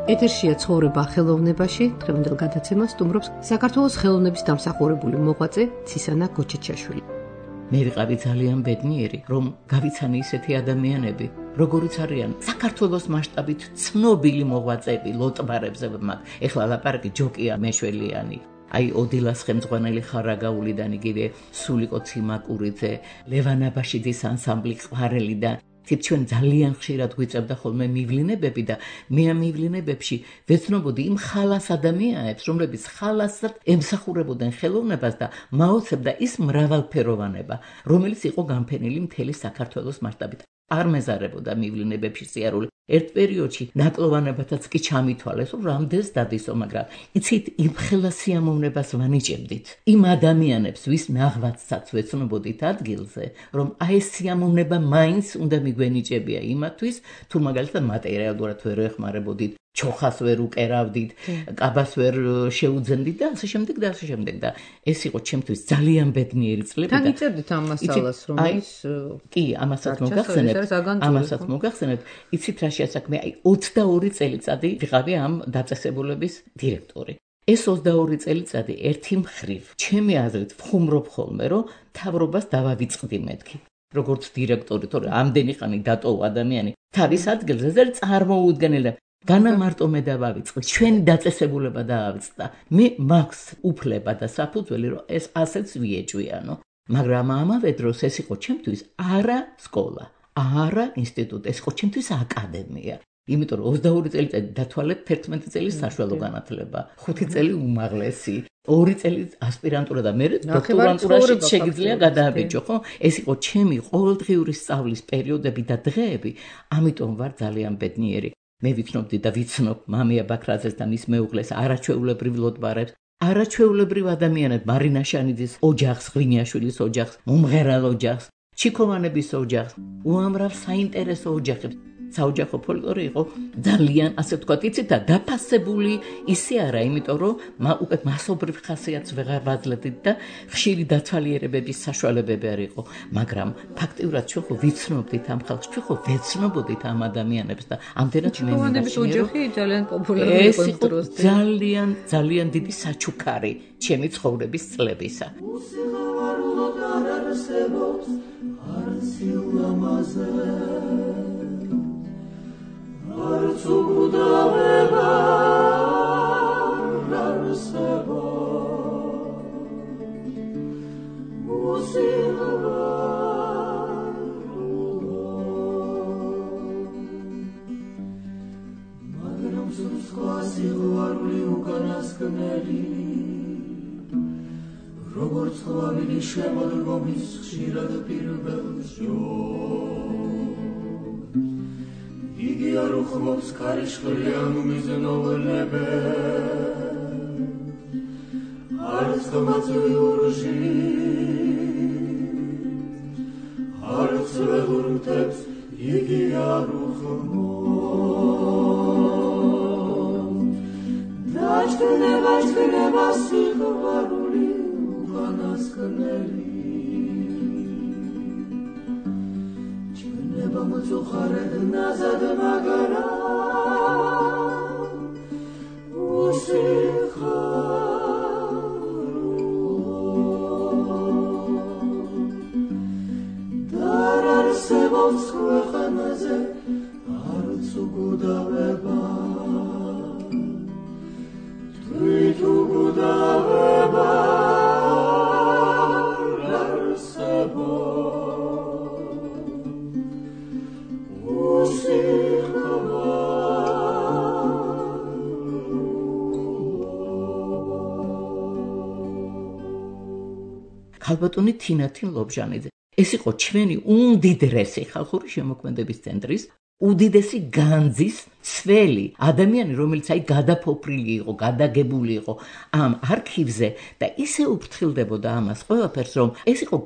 ეთერშია ცხოვრება ხელოვნებაში, დღევანდელ გადაცემას სტუმრობს საქართველოს ხელოვნების დამსახურებული მოღვაწე ცისანა გოჩეჩაშვილი. მე ვიყავი ძალიან ბედნიერი, რომ გავიცანი ისეთი ადამიანები, როგორიც არიან საქართველოს მასშტაბით ცნობილი მოღვაწეები, ლოტბარებზე ვმაგ. ეხლა ლაპარაკი ჯოკია მეშველიანი. აი ოდილას ხელმძღვანელი ხარაგაულიდან იგივე სულიკო ციმაკურიძე, ლევან აბაშიძის ანსამბლი ყარელიდან ჩვენ ძალიან ხშირად გვიწევდა ხოლმე მივლინებები და მე ამ მივლინებებში ვეცნობოდი იმ ხალას ადამიანებს, რომლებიც ხალასად ემსახურებოდნენ ხელოვნებას და მაოცებდა ის მრავალფეროვანება, რომელიც იყო განფენილი მთელი საქართველოს მასშტაბით. არ მეზარებოდა მივლინებებში სიარული. ერთ პერიოდში ნაკლოვანებათაც კი ჩამითვალეს, რომ რამდენს დადისო, მაგრამ იცით, იმ ხელა სიამოვნებას ვანიჭებდით. იმ ადამიანებს, ვის ნაღვაწსაც ვეცნობოდით ადგილზე, რომ აი ეს სიამოვნება მაინც უნდა მიგვენიჭებია იმათვის, თუ მაგალითად მატერიალურად ვერ ეხმარებოდით, ჩოხას ვერ უკერავდით, კაბას ვერ შეუძენდით და ასე შემდეგ და ასე შემდეგ და ეს იყო ჩემთვის ძალიან ბედნიერი წლები და თან იწერდით ამ მასალას, რომ ის კი, ამასაც მოგახსენებთ, იცით რა შეასაქმე, აი 22 წელიწადი ვიყავი ამ დაწესებულების დირექტორი. ეს 22 წელიწადი ერთი მხრივ, ჩემი აზრით, ვხუმრობ ხოლმე, რომ მთავრობას დავავიწყდი მეთქი. როგორც დირექტორი, თორე ამდენი ხანი დატოვა ადამიანი თავის ადგილზე, ზერ წარმოუდგენელი განა მარტო მე დავავიწყე, ჩვენი დაწესებულება დაავიწყდა. მე მაქვს უფლება და საფუძველი, რომ ეს ასეც ვიეჭვიანო. მაგრამ ამავე დროს ეს იყო ჩემთვის არა სკოლა, არა ინსტიტუტი, ეს იყო ჩემთვის აკადემია. იმიტომ რომ 22 წელიწადი დათვალეთ 11 წელის საშუალო განათლება, 5 წელი უმაღლესი, 2 წელი ასპირანტურა და მე დოქტორანტურაში შეგიძლია გადააბეჭო, ხო? ეს იყო ჩემი ყოველდღიური სწავლის პერიოდები და დღეები, ამიტომ ვარ ძალიან ბედნიერი. მე ვიცნობდი და ვიცნობ მამია ბაქრაძეს და მის მეუღლეს არაჩვეულებრივ ლოტბარებს, არაჩვეულებრივ ადამიანებს, მარინა შანიძის ოჯახს, ღვინიაშვილის ოჯახს, მომღერალ ოჯახს, ჩიქოვანების ოჯახს, უამრავ საინტერესო ოჯახებს. საოჯახო ფოლკლორი იყო ძალიან, ასე ვთქვათ, იცით და დაფასებული ისე არა, იმიტომ რომ უკვე მასობრივ ხასიათს ვეღარ ვაძლევდით და ხშირი დათვალიერებების საშუალებები არ იყო, მაგრამ ფაქტიურად ჩვენ ხო ვიცნობდით ამ ხალხს, ჩვენ ხო ვეცნობოდით ამ ადამიანებს და ამდენად ჩიქოვანების ოჯახი ძალიან პოპულარული იყო იმ დროს. ძალიან დიდი საჩუქარი ჩემი ცხოვრების წლებისა. არსებობს არც ილამაზე არც უგუდავება მაგრამ სხვა სიყვარული უკანასკნელი როგორც ხვავილი შემოდგომის ხშირად პირველ შორს იგი არ უხმობს ქარიშხლიან მიზნობლებებს არც ღმაწვი ურში არც ველურ მთებს იგი არ უხმობს დაჩქნება ჩქნება სიყვარული უკანასკნელი ჩქნება მოწუხარედ ნაზად მაგრამ არ არსებობს ქვეყანაზე არც უგუდავება თვით უგუდავება არ არსებობს ქალბატონი თინათინ ლობჟანიძე. ეს იყო ჩვენი უმდიდრესი ხალხური შემოქმედების ცენტრის უდიდესი განძის ცველი ადამიანი, რომელიც გადაფოფრილი იყო, გადაგებული იყო ამ არქივზე და ისე უფრთხილდებოდა ამას ყველაფერს, რომ ეს იყო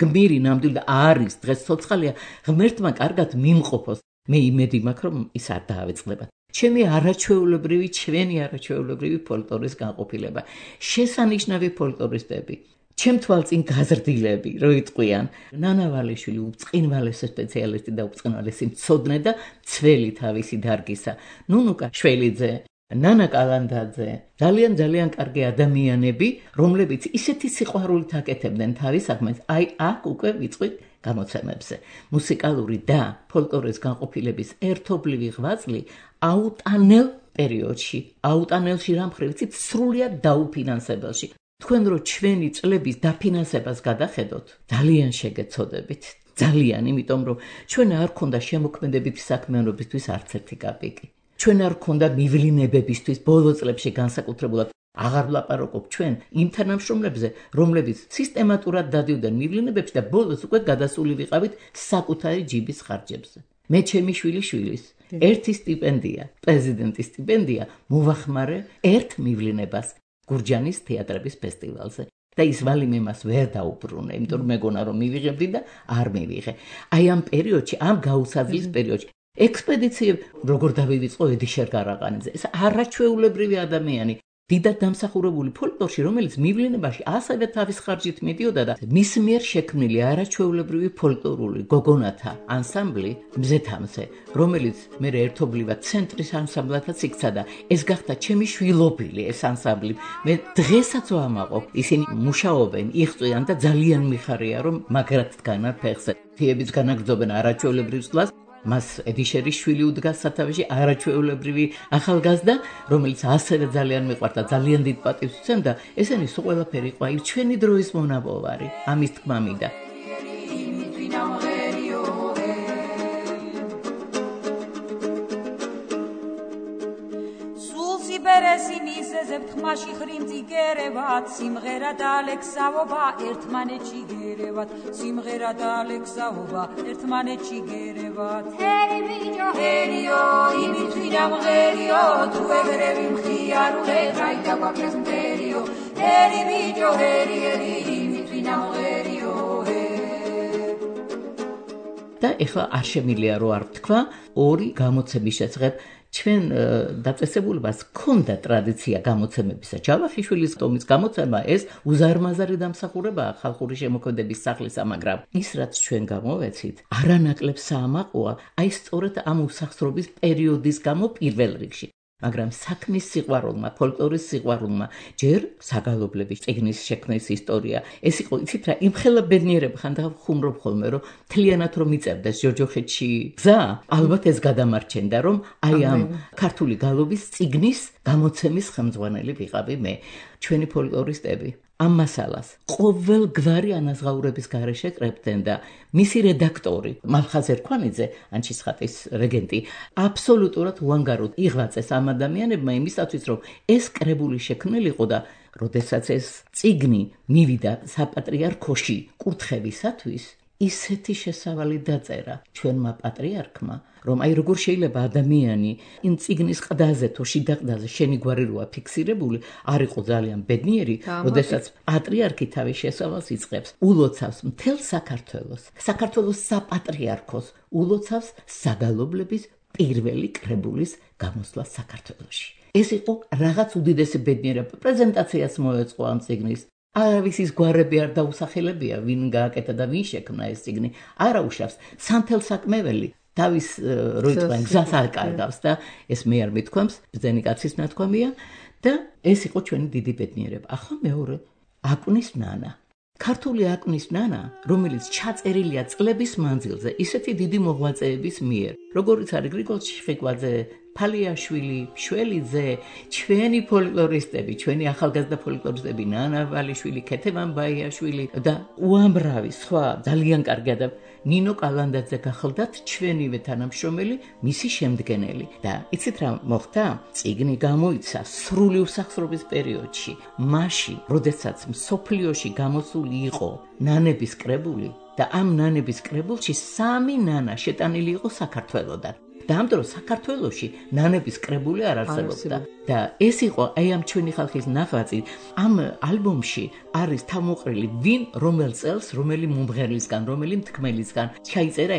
გმირი ნამდვილი და არის დღეს ცოცხალია, ღმერთმა კარგად მიმყოფოს. მე იმედი მაქვს, რომ ის არ დაავიწყდება. ჩვენი არაჩვეულებრივი ფოლკლორის განყოფილება, შესანიშნავი ფოლკლორისტები, ჩემ თვალწინ გაზრდილები, რო იტყვიან, ნანა ვალიშვილი უწყინვალესი სპეციალისტი და უწყინვალესი მცოდნე და ცველი თავისი დარგისა, ნუნუკა შველიძე, ნანა კალანდაძე, ძალიან კარგი ადამიანები, რომლებიც ისეთი სიყვარულით აკეთებდნენ თავის საქმეს, აქ უკვე ვიწვით გამოცემებზე. მუსიკალური და ფოლკლორის განყოფილების ერთობლივი ღვაწლი აუტანელ პერიოდში, აუტანელში რამხრივ იცით, სრულიად დაუფინანსებელში. თქვენ რო ჩვენი წლების დაფინანსებას გადახედოთ, ძალიან შეგეცოდებით. ძალიან, იმიტომ რომ ჩვენ არ ქონდა შემოქმედებითი საქმიანობისთვის არც ერთი კაპიკი. ჩვენ არ ქონდა მივლინებებისთვის ბოლო წლებში განსაკუთრებულად აღარ ვლაპარაკობ ჩვენ იმ თანამშრომლებზე, რომლებიც სისტემატურად დადიოდნენ მივლინებებში და ბოლოს უკვე გადასული ვიყავით საკუთარი ჯიბის ხარჯებზე. მე ჩემი შვილიშვილის ერთი სტიპენდია, პრეზიდენტის სტიპენდია მოვახმარე ერთ მივლინებას გურჯანის თეატრების ფესტივალზე. და ის ვალი მე მას ვერ დაუბრუნე, იმიტომ რომ მეგონა რომ მივიღებდი და არ მივიღე. აი ამ პერიოდში, ამ გაუსაძლის პერიოდში ექსპედიციები როგორ დავივიწყო ედიშერ გარაყანიძე. ეს არაჩვეულებრივი ადამიანი, დიდად დამსახურებული ფოლკლორში, რომელიც მივლინებაში ასევე თავის ხარჯით მიდიოდა და მის მიერ შექმნილი არაჩვეულებრივი ფოლკლორული გოგონათა ანსამბლი მზეთამზე, რომელიც მე ერთობლივად ცენტრის ანსამბლათაც იქცა და ეს გახდა ჩემი შვილობილი ეს ანსამბლი. მე დღესაც ვამაყობ, ისინი მუშაობენ, იღწვიან და ძალიან მიხარია რომ მაგრად დგანარ ფეხზე. თიებიც განაგრძობენ არაჩვეულებრივ სვლას. მას ედიშერის შვილი უდგას სათავეში არაჩვეულებრივი ახალგაზრდა, რომელიც ასევე ძალიან მიყვარდა, ძალიან დიდ პატივს უცემდა. ესენი სულ ყველაფერი იყო აი ჩვენი დროის მონაპოვარი, ამის თქმა მინდა. სიბერესი მისეზებთ ხმაში ხრიმძი გერევათ, სიმღერა და ალექსაობა ერთმანეთში გერევათ, სიმღერა და ალექსაობა ერთმანეთში გერევათ. ჰერი ბიჭო ჰერიო, იმით ვინა მღერიო, თუ ეგრევი მხიარულე, რაიდა გვაქვს მტერიო. ჰერი ბიჭო ჰერი, იმით ვინა მღერიო. და ეხლა არ შემიძლია რო არ ვთქვა, ორი გამოცემის შესახებ. ჩვენ დაწესებულებას ჰქონდა ტრადიცია გამოცემებისა. ჯავახიშვილის ტომის გამოცემა ეს უზარმაზარი დამსახურებაა ხალხური შემოქმედების სახლისა, მაგრამ ის რაც ჩვენ გამოვეცით, არანაკლებ საამაყოა, აი სწორედ ამ უსახსრობის პერიოდის გამო პირველ რიგში. მაგრამ საქმის სიყვარულმა, ფოლკლორის სიყვარულმა, ჯერ საგალობლების წიგნის შექმნის ისტორია. ეს იყო, იცით რა, იმხელა ბედნიერება ხანდახან ხუმრობ ხოლმე, რომ თლიანად რომ იწევდეს ჯოჯოხეთში გზა, ალბათ ეს გადამარჩენდა, რომ აი ამ ქართული გალობის წიგნის გამოცემის ხელმძღვანელი ვიყავი მე. ჩვენი ფოლკლორისტები ამ მასალას ყოველ გვარი ანაზღაურების გარეშე კრებდნენ და მისი რედაქტორი მალხაზ ერქვანიძე, ანჩისხატის რეგენტი, აბსოლუტურად უანგაროდ იღვაწეს ამ ადამიანებმა იმისათვის, რომ ეს კრებული შექმნილიყო და როდესაც ეს წიგნი მივიდა საპატრიარქოში კურთხევისათვის, ისეთი შესავალი დაწერა ჩვენმა პატრიარქმა, რომ აი როგორ შეიძლება ადამიანი იმ წიგნის ყდაზე თუ შიდა ყდაზე შენი გვარი როა ფიქსირებული, არ იყო ძალიან ბედნიერი, როდესაც პატრიარქი თავის შესავალს იწყებს, ულოცავს მთელ საქართველოს, საქართველოს საპატრიარქოს, ულოცავს საგალობლების პირველი კრებულის გამოსვლა საქართველოში. ეს იყო რაღაც უდიდესი ბედნიერება. პრეზენტაციას მოეწყო ამ წიგნის. არავის გვარები არ დაუსახელებია, ვინ გააკეთა და ვინ შექმნა ეს წიგნი. არა უშავს, სამთელ საკმეველი თავის როიტყვენ გზას აკარგავს და ეს მე არ მithქვამს, ბრძენი კაცის ნათქვამია და ეს იყო ჩვენი დიდი ბედნიერება. ახლა მეორე, აკუნის ნანა. ქართული აკუნის ნანა, რომელიც ჩაწერილია წლების მანძილზე, ისეთი დიდი მოღვაწეების მიერ, როგორიც არის გრიგოლ ჩიხიკვაძე, ფალიაშვილი, მშველიძე, ჩვენი ფოლკლორისტები, ჩვენი ახალგაზრდა ფოლკლორისტები, ნანა ვალიშვილი, ქეთევან ბაიაშვილი და უამრავი სხვა ძალიან კარგი ადამიანი. ნინო კალანდაძე გახლდათ ჩვენივე თანამშრომელი, მისი შემდგენელი. და იცით რა მოხდა? წიგნი გამოიცა სრული უსახსრობის პერიოდში, მაშინ, როდესაც მსოფლიოში გამოსული იყო ნანების კრებული და ამ ნანების კრებულში 3 ნანა შეტანილი იყო საქართველოდან. და ამ დროს საქართველოში ნანების კრებული არ არსებობდა და ეს იყო აი ამ ჩვენი ხალხის ნახვაწი. ამ ალბომში არის თავმოყრილი ვინ რომელ წელს რომელი მომღერლისგან, რომელი მთქმელისგან ჩაიწერა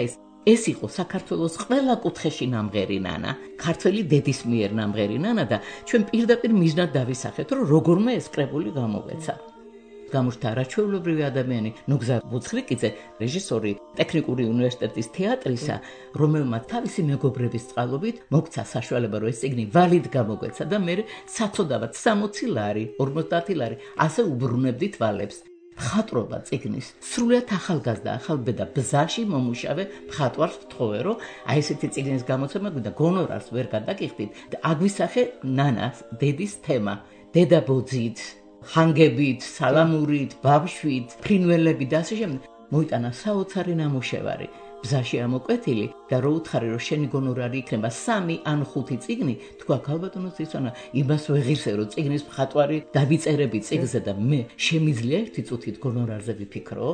ეს იყო საქართველოს ყველა კუთხეში ნამღერი ნანა, ქართველი დედის მიერ ნამღერი ნანა და ჩვენ პირდაპირ მიზნად დავისახეთ, რომ როგორმე ეს კრებული გამოგვეცა. გამოჩნდა არაჩვეულებრივი ადამიანი ნუგზა ბუცხრიკიძე, რეჟისორი ტექნიკური უნივერსიტეტის თეატრისა, რომელმაც თავისი მეგობრების წყალობით მოგცა საშუალება, რომ ეს წიგნი ვალიდ გამოგვეცა და მე საწოდავად 60 ლარი, 50 ლარი, ასე უბრუნებდით ვალებს. მხატვრობა წიგნის სრულიად ახალგაზრდა, ახალბედა ბზაში მომუშავე მხატვარს ვთხოვე, რომ აი ესეთი წიგნის გამოცემა და გონორარს ვერ გადაგიხდით და აგვისახე ნანას დედის თემა, დედა ბოძით, ხანგებით, სალამურით, ბავშვით, ფრინველები და ასე შემდეგ. მოიტანა საოცარი ნამუშევარი, ბზაში ამოკვეთილი და რო უთხარი, რომ შენი გონორარი იქნება 3 ან 5 წიგნი, თქვა ქალბატონო ცისონა, იმას ვეღირსე, რომ წიგნის მხატვარი დავიწერები წიგნზე და მე შემიძლია ერთი წუთით გონორარზე ვიფიქრო.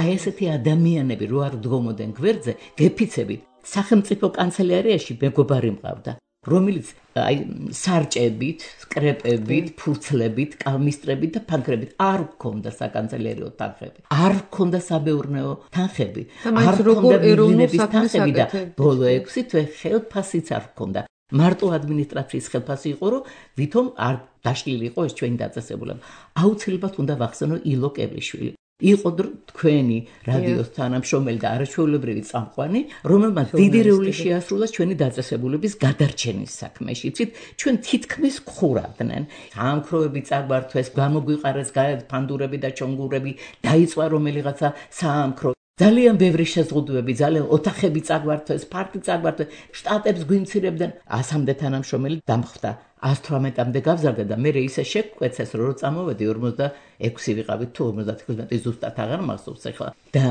აი ესეთი ადამიანები რო არ დგომოდნენ გვერდზე, გეფიცებით. სახელმწიფო კანცელარიაში მეგობარი მყავდა, რომელიც აი სარჭებით, სკრეპებით, ფურცლებით, კალმისტრებით და ფანქრებით არ გქონდა საკანცელერიო თანხები. არ გქონდა საბეურნეო თანხები. არ გქონდა ეროვნების თანხები და ბოლო 6 თვე ხელფასიც არ გქონდა. მარტო ადმინისტრაციის ხელფასი იყო, რომ ვითომ არ დაშლილი იყო ეს ჩვენი დაწესებულება. აუცილებლად უნდა ვახსენო ილო კებლიშვილი. იყო თქვენი რადიოს თანამშრომელი და არაჩვეულებრივი წამყვანი, რომელმაც დიდი როლი შეასრულა ჩვენი დაწესებულების გადარჩენის საქმეში. იცით, ჩვენ თითქმის ხურავდნენ. საამქროები წაგვართვეს, გამოგვიყარეს ფანდურები და ჩონგურები, დაიწვა რომელიღაცა საამქრო. ძალიან ბევრი შეზღუდვები, ძალიან ოთახები წაგვართვეს, ფარტი წაგვართვეს, შტატებს გვიმცირებდნენ. 100-მდე თანამშრომელი დამხვდა. 118-მდე გავზარდა და მე ისე შეგვეცეს, რომ წამოვედი 46 ვიყავით თუ 55 ზუსტად აღარ მახსოვს ახლა. და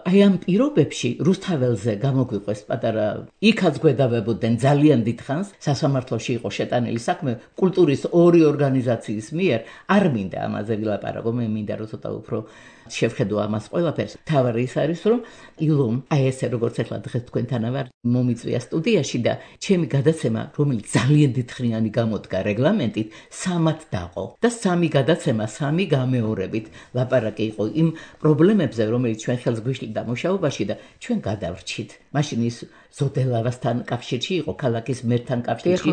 აი ამ პირობებში რუსთაველზე გამოგვიყვეს პატარა, იქაც გვედავებოდნენ ძალიან დიდხანს, სასამართლოში იყო შეტანილი საქმე კულტურის 2 ორგანიზაციის მიერ, არ მინდა ამაზე ვილაპარაკო, მე მინდა რომ ცოტა უფრო შევხედო ამას ყველაფერს. თავარი ის არის, რომ ილომ აი ესე როგორც ახლა დღეს თქვენთან ვარ, მომიწვია სტუდიაში და ჩემი გადაცემა, რომელიც ძალიან დიდხნიანი გამოდგა რეგლამენტით, 3-ად დაყო და 3 გადაცემა 3 გამეორებით ლაპარაკი იყო იმ პრობლემებზე, რომელიც ჩვენ ხელს გვიშლიდა მუშაობაში და ჩვენ გადავრჩით. მაშინ ის ზოდელავასთან კავშირში იყო, ქალაქის მერთან კავშირში.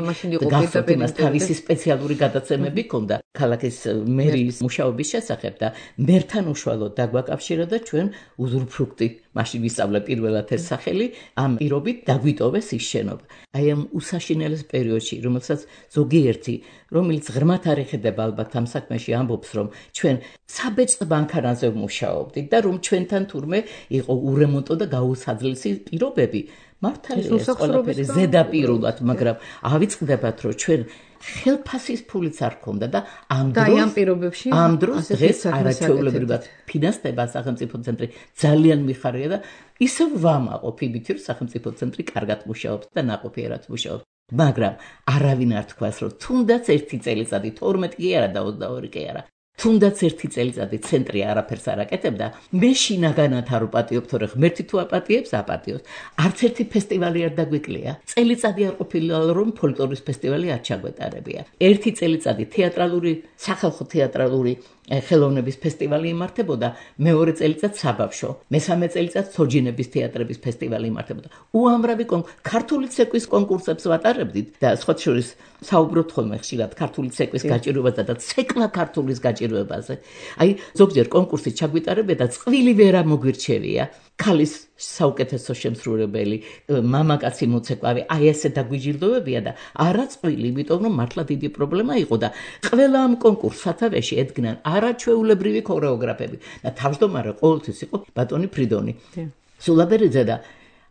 გახსოვთ იმას თავისი სპეციალური გადაცემები ჰქონდა ქალაქის მერის მუშაობის შესახებ და მერთან უშუალოდ დაგვაკავშირა და ჩვენ უზურფრუქტი მაშინ ვისწავლე პირველად ეს სახელი, ამ პირობით დაგვიტოვეს ის შენობა. აი ამ უსაშინელეს პერიოდში, რომელსაც ზოგიერთი, რომელიც ღრმად არ ეხება ალბათ ამ საქმეში ამბობს, რომ ჩვენ საბეჭდ მანქანაზე ვმუშაობდით და რომ ჩვენთან თურმე იყო ურემონტო და გაუსაძლისი პირობები. მართალია ეს ყველაფერი ზედაპირულად, მაგრამ ავიწყდებათ, რომ ჩვენ ხელფასის ფულიც არ ქონდა და ამ დროს დღეს არაჩვეულებრივად ფინანსდება სახელმწიფო ცენტრი ძალიან მიხარია და ისევ ვამაყობ იმით, რომ სახელმწიფო ცენტრი კარგად მუშაობს და ნაყოფიერად მუშაობს. მაგრამ არავინ არ თქვას, რომ თუნდაც ერთი წელიწადი 12 კი არა და 22 კი არა. თუნდაც ერთი წელიწადი ცენტრი არაფერს არ აკეთებდა, მე შინაგანად არ ვპატიობ, რომ ღმერთი თუ აპატიებს, აპატიოს. არც ერთი ფესტივალი არ დაგვიკლია. წელიწადი არ ყოფილა, რომ ფოლკლორის ფესტივალი არ ჩაგვეტარებია. ერთი წელიწადი თეატრალური, სახალხო თეატრალური ხელოვნების ფესტივალი იმართებოდა, მეორე წელიწად საბავშვო, მესამე წელიწად სოჯინების თეატრების ფესტივალი იმართებოდა. უამრავი ქართული ცეკვის კონკურსებს ვატარებდით და სხვა შორის საუბრობთ ხოლმე ხშირად ქართული ცეკვის გაჭირვებაზე და ცეკვა ქართულის გაჭირვებაზე. აი ზოგჯერ კონკურსი ჩაგვიტარებია და წყვილი ვერ მოგვირჩევია. ქალის საუკეთესო შემსრულებელი, მამაკაცი მოცეკვავი, აი ესე დაგვიჯილდოვებია და არა წყვილი, იმიტომ რომ მართლა დიდი პრობლემა იყო და ყველა ამ კონკურსს სათავეში ედგნენ არაჩვეულებრივი ქორეოგრაფები და თავმჯდომარე ყოველთვის იყო ბატონი ფრიდონი. სულაბერიძე და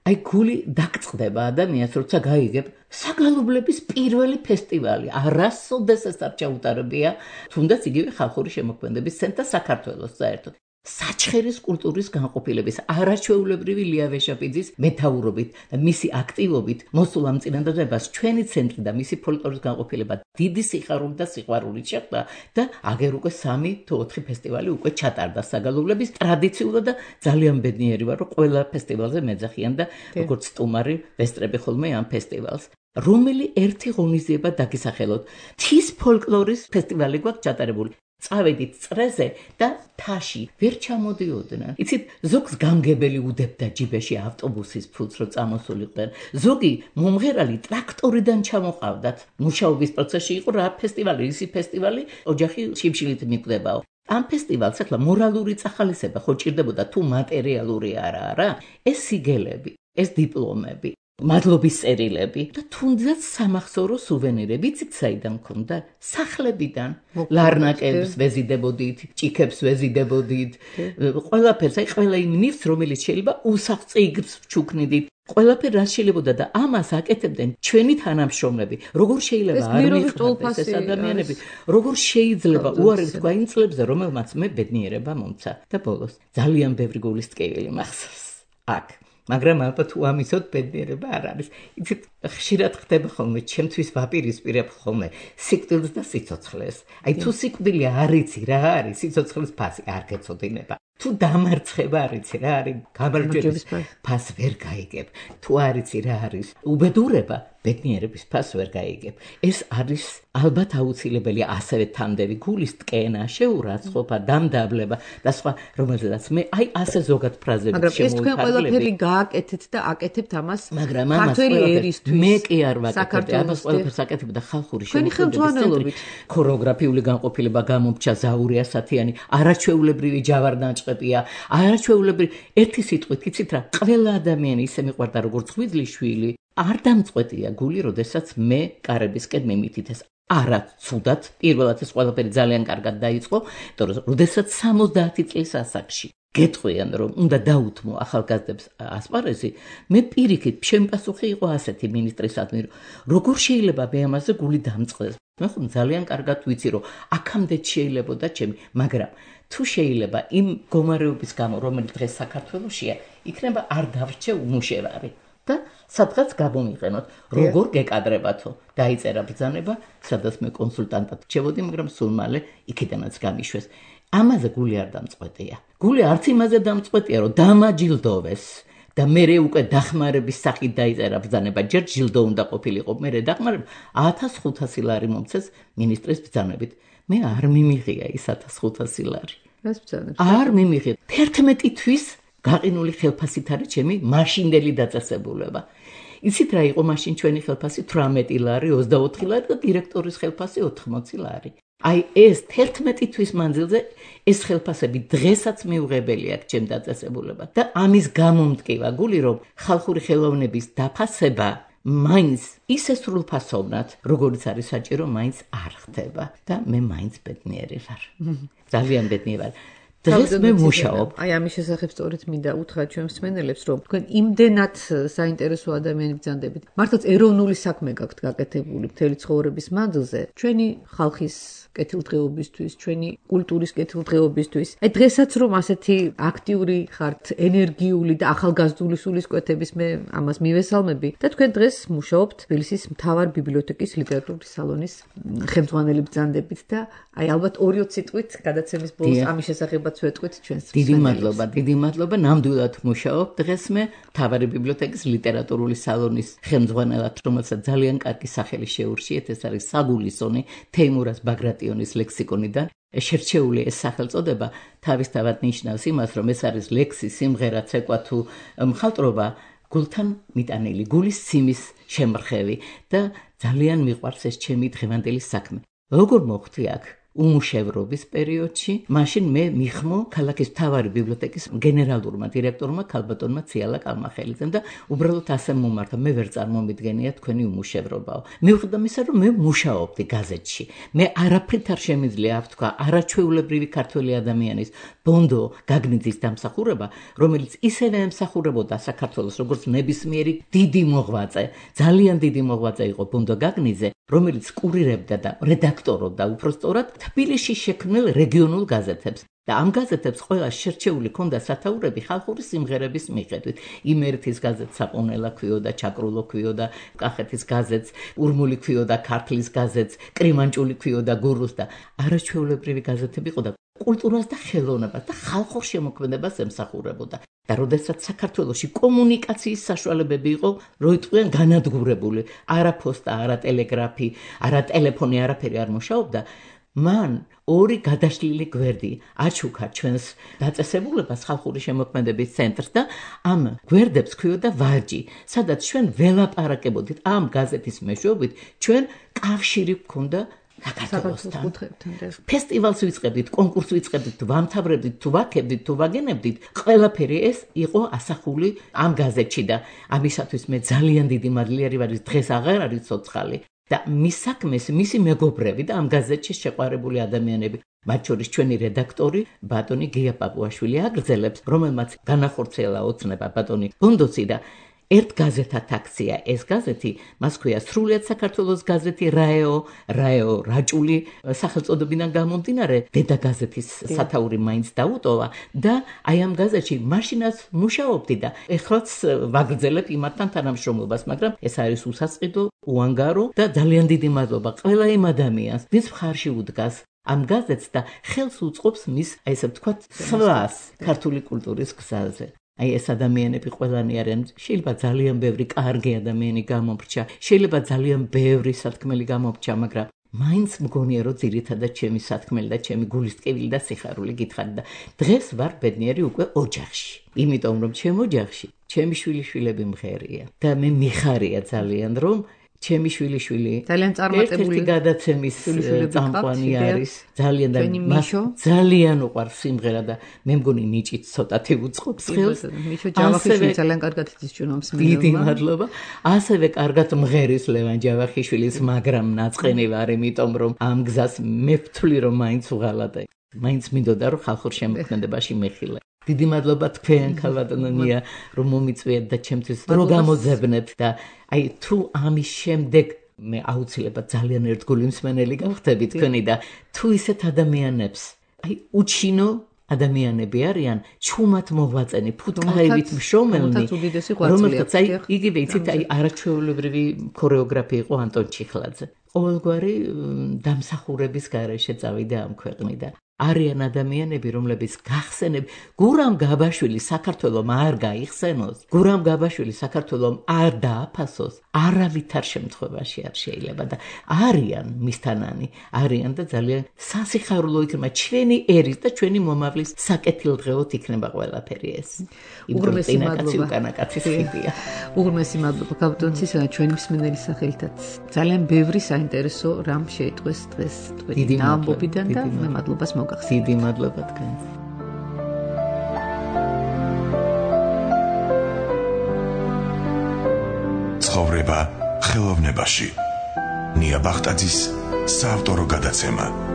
აი გული დაგწყდება ადამიანს, როცა გაიგებ საგალობლების პირველი ფესტივალი, არასოდეს ეს არ ჩაუტარებია, თუნდაც იგივე ხალხური შემოქმედების ცენტრ საქართველოს საერთოდ. საჩხერის კულტურის განყოფილების არაჩვეულებრივი ლია ვეშაპიძის მეთაურობით და მისი აქტივობით მოსულ ამ წინადადებას ჩვენი ცენტრი და მისი ფოლკლორის განყოფილება დიდი სიხარული და სიყვარულით შეხვდა და აგერ უკვე 3 თუ 4 ფესტივალი უკვე ჩატარდა საგალობლების ტრადიციულად და ძალიან ბედნიერი ვარ, რომ ყველა ფესტივალზე მეძახიან და როგორც სტუმარი ვესწრები ხოლმე ამ ფესტივალს. რომელი ერთი ღონისძიება დაგისახელოთ. მთის ფოლკლორის ფესტივალი გვაქვს ჩატარებული. წავედით წრეზე და თაში ვერ ჩამოდიოდნენ. იცით, ზოგს გამგებელი უდებდა ჯიბეში ავტობუსის ფულს, რომ წამოსულიყვნენ. ზოგი მომღერალი ტრაქტორიდან ჩამოყავდათ. მუშაობის პროცესში იყო რა ფესტივალი, ისი ფესტივალი, ოჯახი შიმშილით მიკვდებაო. ამ ფესტივალს ახლა მორალური წახალისება ხო ჭირდებოდა თუ მატერიალური არა? ეს სიგელები, ეს დიპლომები, მადლობის წერილები და თუნდაც სამახსოვრო სუვენირები საიდან მქონდა? სახლებიდან. ლარნაკებს ვეზიდებოდით, ჭიქებს ვეზიდებოდით, ყველაფერს, აი ყველა იმ ნივთს, რომელიც შეიძლება უსახწიგს ვჩუქნიდით. ყველაფერი რაც შეიძლებოდა და ამას აკეთებდნენ ჩვენი თანამშრომლები. როგორ შეიძლება არ მიიღოს ეს ადამიანები? როგორ შეიძლება უარეს თქვა იმ წლებზე, რომელმაც მე ბედნიერება მომცა და ბოლოს ძალიან ბევრი გულის ტკივილი მახსოვს. აქ მაგრამ ალბათ თუ ამისოდ ბედნიერება არ არის. იცით, ხშირად ხდება ხოლმე, ჩემთვის ვაპირისპირებ ხოლმე სიკვდილს და სიცოცხლეს. აი თუ სიკვდილი არ იცი რა არის, სიცოცხლის ფასი არ გეცოდინება. თუ დამარცხება არ იცი რა არის, გამარჯვების ფას ვერ გაიგებ. თუ არ იცი რა არის უბედურება, ბედნიერების ფას ვერ გაიგებ. ეს არის ალბათ აუცილებელი ასევე თანდევი გულის ტკენა, შეურაცხყოფა, დამდაბლება და სხვა, რომელზედაც მე აი ასე ზოგად ფრაზებით მაგრამ ეს თქვენ ყველაფერი გააკეთეთ და აკეთებთ ამას ქართველი ერისთვის. მე კი არ ვაკეთებ, ამას ყველაფერს აკეთებ და ხალხური შემოქმედებით ქორეოგრაფიული განყოფილება გამომრჩა ზაური ასათიანი, არაჩვეულებრივი ჯავარდანჭყებია, არაჩვეულებრივი ერთი სიტყვით იცით რა, ყველა ადამიანი ისე მიყვარდა როგორც ღვიძლიშვილი. არ დამწყვეტია გული, როდესაც მე კარებისკენ მიმითითეს. არა ცუდად, პირველად ეს ყველაფერი ძალიან კარგად დაიწყო, იმიტომ რომ როდესაც 70 წლის ასაკში გეტყვიან, რომ უნდა დაუთმო ახალგაზრდებს ასპარეზი, მე პირიქით, ჩემი პასუხი იყო ასეთი მინისტრისადმი, როგორ შეიძლება მე ამაზე გული დამწყდეს. მე ხომ ძალიან კარგად ვიცი, რომ აქამდე შეიძლებოდა ჩემი, მაგრამ თუ შეიძლება იმ მდგომარეობის გამო, რომელიც დღეს საქართველოშია, იქნება არ დავრჩე უმუშევარი. და სადღაც გამომიყენოთ, როგორ გეკადრებათო. დაიწერა ბრძანება, სადაც მე კონსულტანტად რჩებოდი, მაგრამ სულ მალე იქიდანაც გამიშვეს. ამაზე გული არ დამწყვეტია. გული არც იმაზე დამწყვეტია, რომ დამაჯილდოვეს და მერე უკვე დახმარების სახით დაიწერა ბრძანება. ჯერ ჯილდო უნდა ყოფილიყო, მერე დახმარება 1500 ლარი მომცეს მინისტრის ბრძანებით. მე არ მიმიღია ის 1500 ლარი. რას ბრძანებს? არ მიმიღია. 11 თვის გაყინული ხელფასით არის ჩემი მაშინდელი დაწესებულება. იცით რა იყო მაშინ ჩვენი ხელფასი 18 ლარი, 24 ლარი და დირექტორის ხელფასი 80 ლარი. აი ეს 11 თვის მანძილზე ეს ხელფასები დღესაც მიუღებელია ჩემ დაწესებულებად და ამის გამომტკივა გული რომ ხალხური ხელოვნების დაფასება მაინც ისე სრულფასოვნად როგორც არის საჭირო მაინც არ ხდება და მე მაინც ბედნიერი ვარ. ძალიან ბედნიერი ვარ. დღეს მე მუშაობ. აი ამის შესახებ სწორედ მინდა უთხრა ჩვენ მსმენელებს, რომ თქვენ იმდენად საინტერესო ადამიანები ბრძანდებით. მართლაც ეროვნული საქმე გაქვთ გაკეთებული მთელი ცხოვრების მანძილზე. ჩვენი ხალხის კეთილდღეობისთვის, ჩვენი კულტურის კეთილდღეობისთვის. აი დღესაც რომ ასეთი აქტიური ხართ, ენერგიული და ახალგაზრდული სულისკვეთების მე ამას მივესალმები და თქვენ დღეს მუშაობთ თბილისის მთავარ ბიბლიოთეკის ლიტერატურის სალონის ხელმძღვანელი ბრძანდებით და აი ალბათ 2 სიტყვით გადაცემის ბოლოს ამის შესახებაც ვეტყვით ჩვენს მსმენელებს. დიდი მადლობა, ნამდვილად მუშაობ დღეს მე მთავარი ბიბლიოთეკის ლიტერატურული სალონის ხელმძღვანელად, რომელსაც ძალიან კარგი სახელი შეურჩიეთ, ეს არის საგულისონი თეიმურაზ ბაგრატიონის ლექსიკონიდან. შერჩეული ეს სახელწოდება თავისთავად ნიშნავს იმას, რომ ეს არის ლექსი, სიმღერა, ცეკვა თუ მხატვრობა გულთან მიტანილი, გულის სიმის შემრხევი და ძალიან მიყვარს ეს ჩემი დღევანდელი საქმე. როგორ მოხდი აქ უმუშევრობის პერიოდში, მაშინ მე მიხმო ქალაქის მთავარი ბიბლიოთეკის გენერალურმა დირექტორმა ქალბატონმა ციალა კალმახელიძემ და უბრალოდ ასე მომართა, მე ვერ წარმომიდგენია თქვენი უმუშევრობაო. მიუხედავად იმისა, რომ მე მუშაობდი გაზეთში. მე არაფრით არ შემიძლია ავთქვა არაჩვეულებრივი ქართველი ადამიანის ბონდო გაგნიძის დამსახურება, რომელიც ისევე ემსახურებოდა საქართველოს როგორც ნებისმიერი დიდი მოღვაწე, ძალიან დიდი მოღვაწე იყო ბონდო გაგნიძე, რომელიც კურირებდა და რედაქტორობდა უпростоრად თბილისში შექმნილ რეგიონულ გაზეთებს და ამ გაზეთებს ყველა შერჩეული ჰქონდა სათაურები ხალხური სიმღერების მიხედვით. იმერეთის გაზეთს საყონელა ქვიოდა, ჩაკრულო ქვიოდა, კახეთის გაზეთს, ურმული ქვიოდა, ქართლის გაზეთს, კრიმანჭული ქვიოდა, გურუს და არაჩვეულებრივი გაზეთები იყო და კულტურას და ხელოვნებას და ხალხურ შემოქმედებას ემსახურებოდა. და როდესაც საქართველოში კომუნიკაციის საშუალებები იყო, რო იყვნენ განადგურებული, არა ფოსტა, არა ტელეგრაფი, არა ტელეფონი, არაფერი არ მუშაობდა, მან 2 გადაშლილი გვერდი აჩუქა ჩვენს დაწესებულებას ხალხური შემოქმედების ცენტრს და ამ გვერდებს ქვიოდა ვარჯი, სადაც ჩვენ ველაპარაკებოდით ამ გაზეთის მეშვეობით, ჩვენ კავშირი გქონდა საქართველოსთან. ფესტივალს ვიწყებდით, კონკურსს ვიწყებდით, ვამთავრებდით, თუ ვაქებდით, თუ ვაგენებდით, ყველაფერი ეს იყო ასახული ამ გაზეთში და ამისათვის მე ძალიან დიდი მადლიერი ვარ, დღეს აღარ არის ცოცხალი. და მის საქმეს მისი მეგობრები და ამ გაზეთში შეყვარებული ადამიანები, მათ შორის ჩვენი რედაქტორი ბატონი გია პაპუაშვილი აგრძელებს, რომელმაც განახორციელა ოცნება ბატონი ბონდოცი და ერთ გაზეთად აქცია ეს გაზეთი, მას ქვია სრულიად საქართველოს გაზეთი რაეო რაჭული სახელწოდებიდან გამომდინარე, დედა გაზეთის სათაური მაინც დაუტოვა და აი ამ გაზეთში მაშინაც მუშაობდი და ეხლაც ვაგრძელებ იმათთან თანამშრომლობას, მაგრამ ეს არის უსასყიდო, უანგარო და ძალიან დიდი მადლობა ყველა იმ ადამიანს, ვინც მხარში უდგას ამ გაზეთს და ხელს უწყობს მის, აი ესე ვთქვათ, სვლას ქართული კულტურის გზაზე. აი ეს ადამიანები ყველანი არიან, შეიძლება ძალიან ბევრი კარგი ადამიანი გამომრჩა, შეიძლება ძალიან ბევრი სათქმელი გამომრჩა, მაგრამ მაინც მგონია რომ ძირითადად ჩემი სათქმელი და ჩემი გულის ტკივილი და სიხარული გითხარი და დღეს ვარ ბედნიერი უკვე ოჯახში. იმიტომ რომ ჩემ ოჯახში ჩემი შვილიშვილები მღერია და მე მიხარია ძალიან რომ ჩემი შვილიშვილი ძალიან წარმატებული გადაცემის წამყვანი არის, ძალიან და მას ძალიან უყვარს სიმღერა და მე მგონი ნიჭით ცოტათი უწყობს ხელს. მიშო ჯავახიშვილი ძალიან კარგად იცის ჩვენ მსმენელმა. დიდი მადლობა. ასევე კარგად მღერის ლევან ჯავახიშვილის, მაგრამ ნაწყენი ვარ, იმიტომ რომ ამ გზას მე ვთვლი რომ მაინც უღალატე. მაინც მინდოდა რომ ხალხურ შემოქმედებაში მეხილე. დიდი მადლობა თქვენ ქალბატონია რომ მომიწვიეთ და ჩემთვის რო გამოძებნეთ და აი თუ ამის შემდეგ მე აუცილებლად ძალიან ერთგული მსმენელი გავხდები თქვენი და თუ ისეთ ადამიანებს აი უჩინო ადამიანები არიან ჩუმად მოღვაწენი ფუტკარებით მშრომელნი რომელთაც აი იგივე იცით აი არაჩვეულებრივი ქორეოგრაფი იყო ანტონ ჩიხლაძე ყოველგვარი დამსახურების გარეშე წავიდა ამ ქვეყნიდან არიან ადამიანები, რომლებიც გახსენებ გურამ გაბაშვილი საქართველოს არ გაიხსენოს, გურამ გაბაშვილი საქართველოს არ დააფასოს, არავითარ შემთხვევაში არ შეიძლება და არიან მისთანანი, არიან და ძალიან სასიხარულო იქნება ჩვენი ერის და ჩვენი მომავლის საკეთილდღეოდ იქნება ყველაფერი ეს. უღრმესი მადლობა. უღრმესი მადლობა კაპიტონცისა და ჩვენი მსმენელი სახელითაც. ძალიან ბევრი საინტერესო რამ შეიტყვეს დღეს თქვენი ამბობიდან და მე მადლობას მოგახსენებთ. დიდი მადლობა თქვენს. ცხოვრება ხელოვნებაში. ნია ბახტაძის საავტორო გადაცემა.